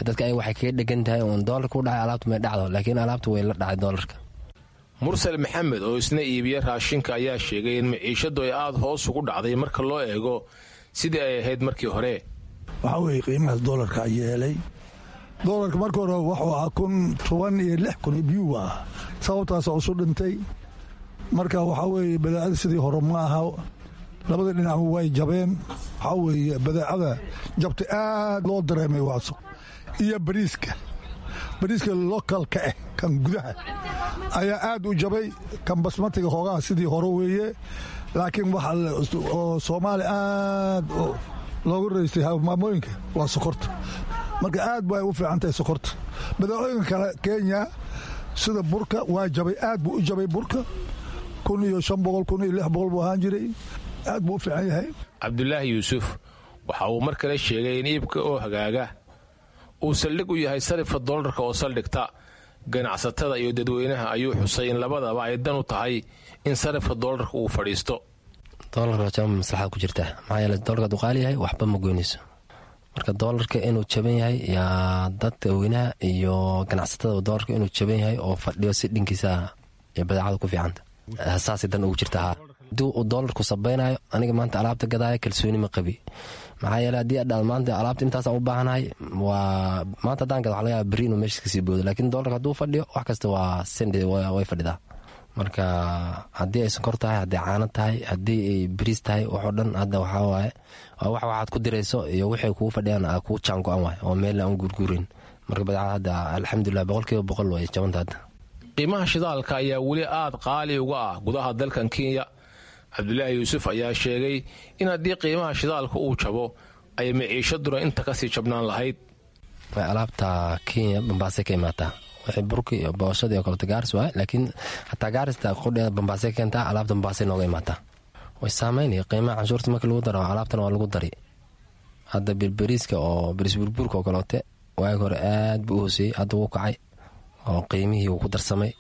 Dadka ay waxay kaga dhegan tahay uun doolarka u dhacay, alaabtu may dhacdo, laakiin alaabtu way la dhacay doolarka. Mursal Maxamed oo isna iibiya raashinka ayaa sheegay in maciishadu ay aada hoos ugu dhacday marka loo eego sidii ay ahayd markii hore. Waxaa weeye, qiimahaas doolarka yeelay. Doolarka marka hore wuxuu ahaa kun toban iyo lix kun biyuu ah, sababtaasa isu dhintay. Marka waxaa weeye, badeecada sidii hore ma aha, labada dhinac way jabeen. Waxaa weeye, badeecada jabtay aad loo dareemay waaso iyo bariiska. Bariiska localka ah, kan gudaha ayaa aad u jabay. Kan basmatiga hoogaha sidii hore weeye, laakiin waxa oo Soomaaliya aad loogu raystay maamooyinka waa sokorta. Marka aad bay u fiican tahay sokorta. Badeecooyinka kale Kenya sida burka waa jabay, aad buu u jabay burka. Kun iyo shan boqol, kun iyo lix boqol buu ahaan jiray. Aad buu u fiican yahay. Cabdulaahi Yuusuf waxa uu mar kale sheegay in iibka oo hagaaga uu saldhig u yahay sarifka doolarka oo saldhigta. Ganacsatada iyo dadweynaha ayuu xusay in labadaba ay dan u tahay in sarifka doolarka uu fadhiisto. Doolarka jaban maslaxada ku jirta, maxaa yeele doolarka hadduu qaali yahay waxba ma goynayso. Marka doolarka inuu jaban yahay yaa dadweynaha iyo ganacsatada, doolarka inuu jaban yahay oo fadhiyo si dhinkiisa iyo badeecada ku fiicanta, saasay dan ugu jirta. Haa, haddii uu doolarku sabaynayo, aniga maanta alaabta gadaaya kalsooni ma qabi. Maxaa yeele, haddii adhaad maanta alaabta intaasaan u baahanahay, waa maanta haddaan gado, waxa laga yaaba berri inuu meesha kasii boodo. Laakiin doolarka hadduu fadhiyo, wax kasta waa send way fadhidaa. Marka haddii ay sonkor tahay, haddii caano tahay, haddii ay bariis tahay, waxoo dhan hadda waxaa waaye waa wax waxaad ku dirayso iyo waxay kugu fadhiyaan aa kugu jaan go-an waay oo meel aan guurguurin. Marka badeecada hadda, alxamdulilah, boqolkiiba boqol way jabanta hadda. Qiimaha shidaalka ayaa weli aad qaali uga ah gudaha dalkan Kenya. Cabdulaahi Yuusuf ayaa sheegay in haddii qiimaha shidaalka uu jabo, ay maciishaduna inta kasii jabnaan lahayd. Alaabta Kenya Bambaasay ka imaataa. Wixii burki iyo booshadii oo kaleto Gaaris waay, laakiin xataa Gaarista qudheeda Bambaasay ka keentaa. Alaabta Bambaasay nooga imaataa. Way saameynaya qiimaha canshuurta markii lagu daro, alaabtana waa lagu dari. Hadda birberiiska oo bariis burburka oo kaleote, waagi hore aad buu u hooseeyey, hadda wuu kacay oo qiimihii wuu ku darsamay.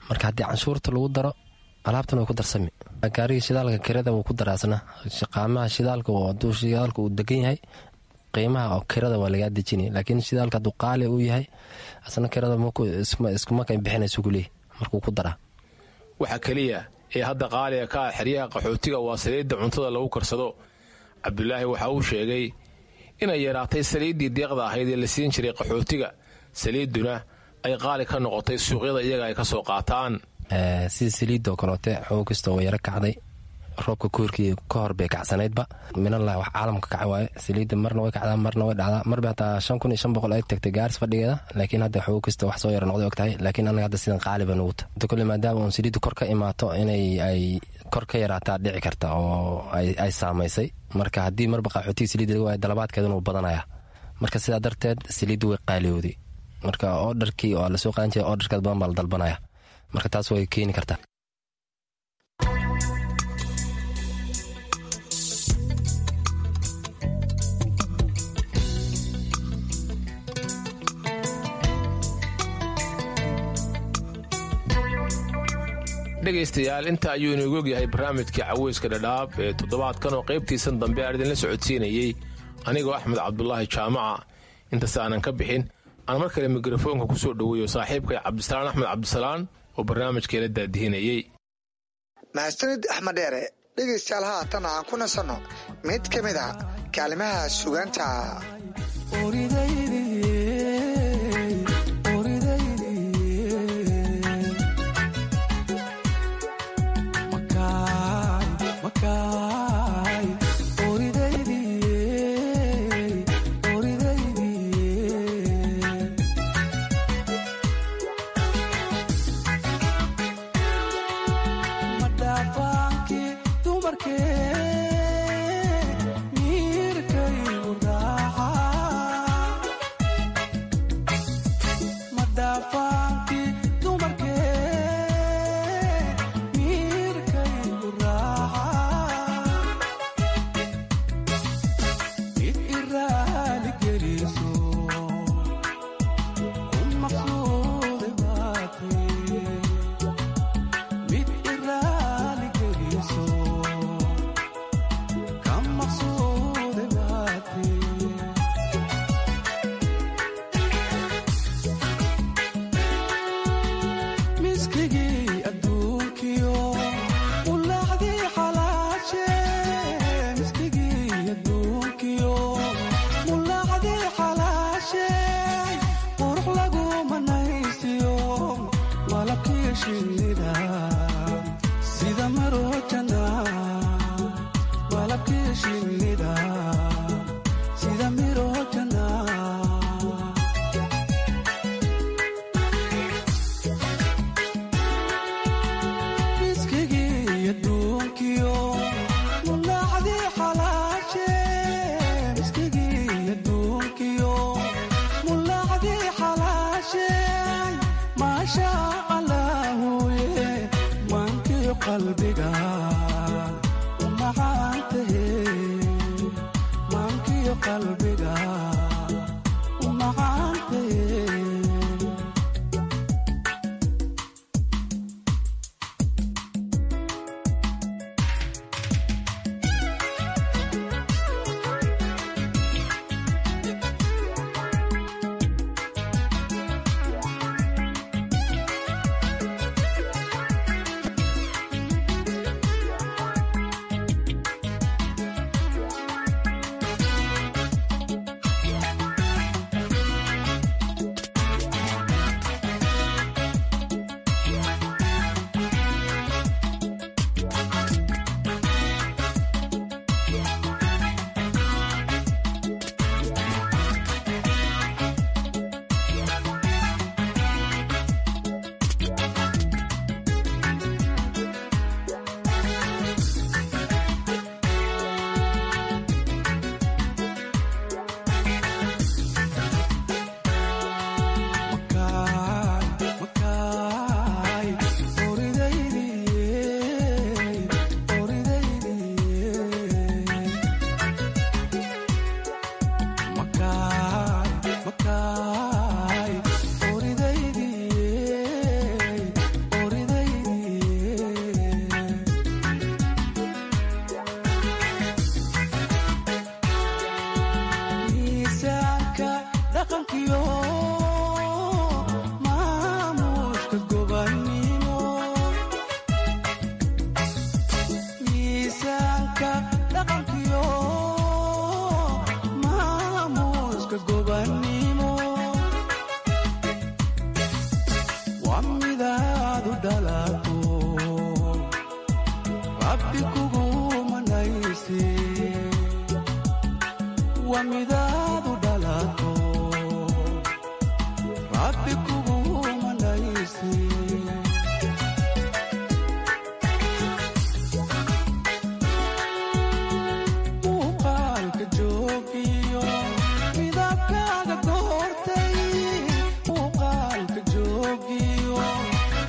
Marka haddii canshuurta lagu daro, alaabtana way ku darsami. Gaarigii shidaalka kirada wuu ku daraasna. Qaamaha shidaalka, hadduu shidaalka uu degan yahay, qiimaha oo kirada waa lagaa dejinay, laakiin shidaalka hadduu qaali uu yahay, asna kirada iskuma ka bixinaysu kuleeyahy markuu ku daraa. Waxa keliya ee hadda qaaliga ka ah xeryaha qaxootiga waa saliidda cuntada lagu karsado. Cabdulaahi waxa uu sheegay inay yaraatay saliiddii deeqda ahayd ee la siin jiray qaxootiga, saliidduna ay qaali ka noqotay suuqyada iyaga ay ka soo qaataan. Sida saliidoo kaleote, xoog kastoo way yaro kacday. Roobka koorkii ka hor bay kacsanaydba. Minalah, wax caalamka kaca waaye. Saliidda marna way kacdaa, marna way dhacdaa. Marba hataa shan kun iyo shan boqol ay tagtay Gaaris fadhigeeda, laakiin hadda xoog kasta wax soo yara noqday og tahay. Laakiin anaga hadda sidan qaali ba nugu ta kolle, maadaama uun saliidda kor ka imaato, inay ay kor ka yaraataa dhici karta oo ay saamaysay. Marka haddii marba qaxootiga saliidda laga waayo, dalabaadkeeduna wuu badanaya. Marka sidaa darteed saliidda way qaaliyowday. Marka orderkii oo lasoo qaadan jiray, orderkaad badan baa la dalbanaya. Marka taas way keeni kartaa. Dhegaystayaal, inta ayuu inoogu ogyahay barnaamijkii Caweyska Dhadhaab ee toddobaadkan oo qaybtiisan dambe aan idinla socodsiinayey anigoo Axmed Cabdulaahi Jaamaca. Intaas aanan ka bixin, aan mar kale mikrofoonka ku soo dhoweeyo saaxiibkay Cabdisalaan Axmed Cabdisalaan oo barnaamijkeela daadihinayey. Mahadsanid Axmed Dheere. Dhegaystayaal, haatan aan ku nasanno mid ka mid a kaalimaha sugaanta.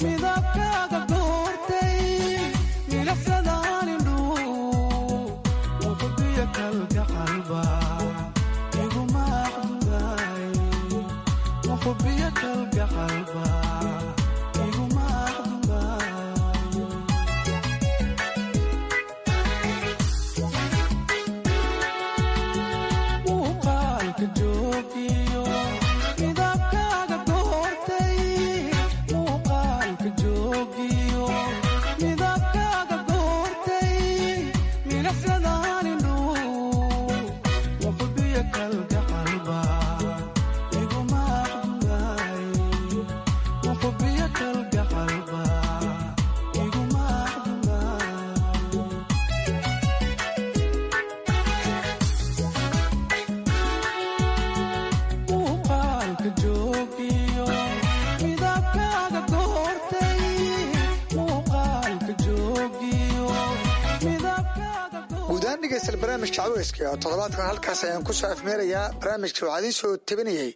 Midabkaaga goortay, milicsadaan indhuhu. Dhegeystayaal, barnaamijka caweyska oo toddobaadkan halkaas ayaan ku soo afmeerayaa. Barnaamijka waxaa idiin soo tabinayay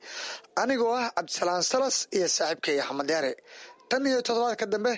anigoo ah Cabdisalaan Salas iyo saaxiibkay Axmed Deere. Tan iyo toddobaadka dambe.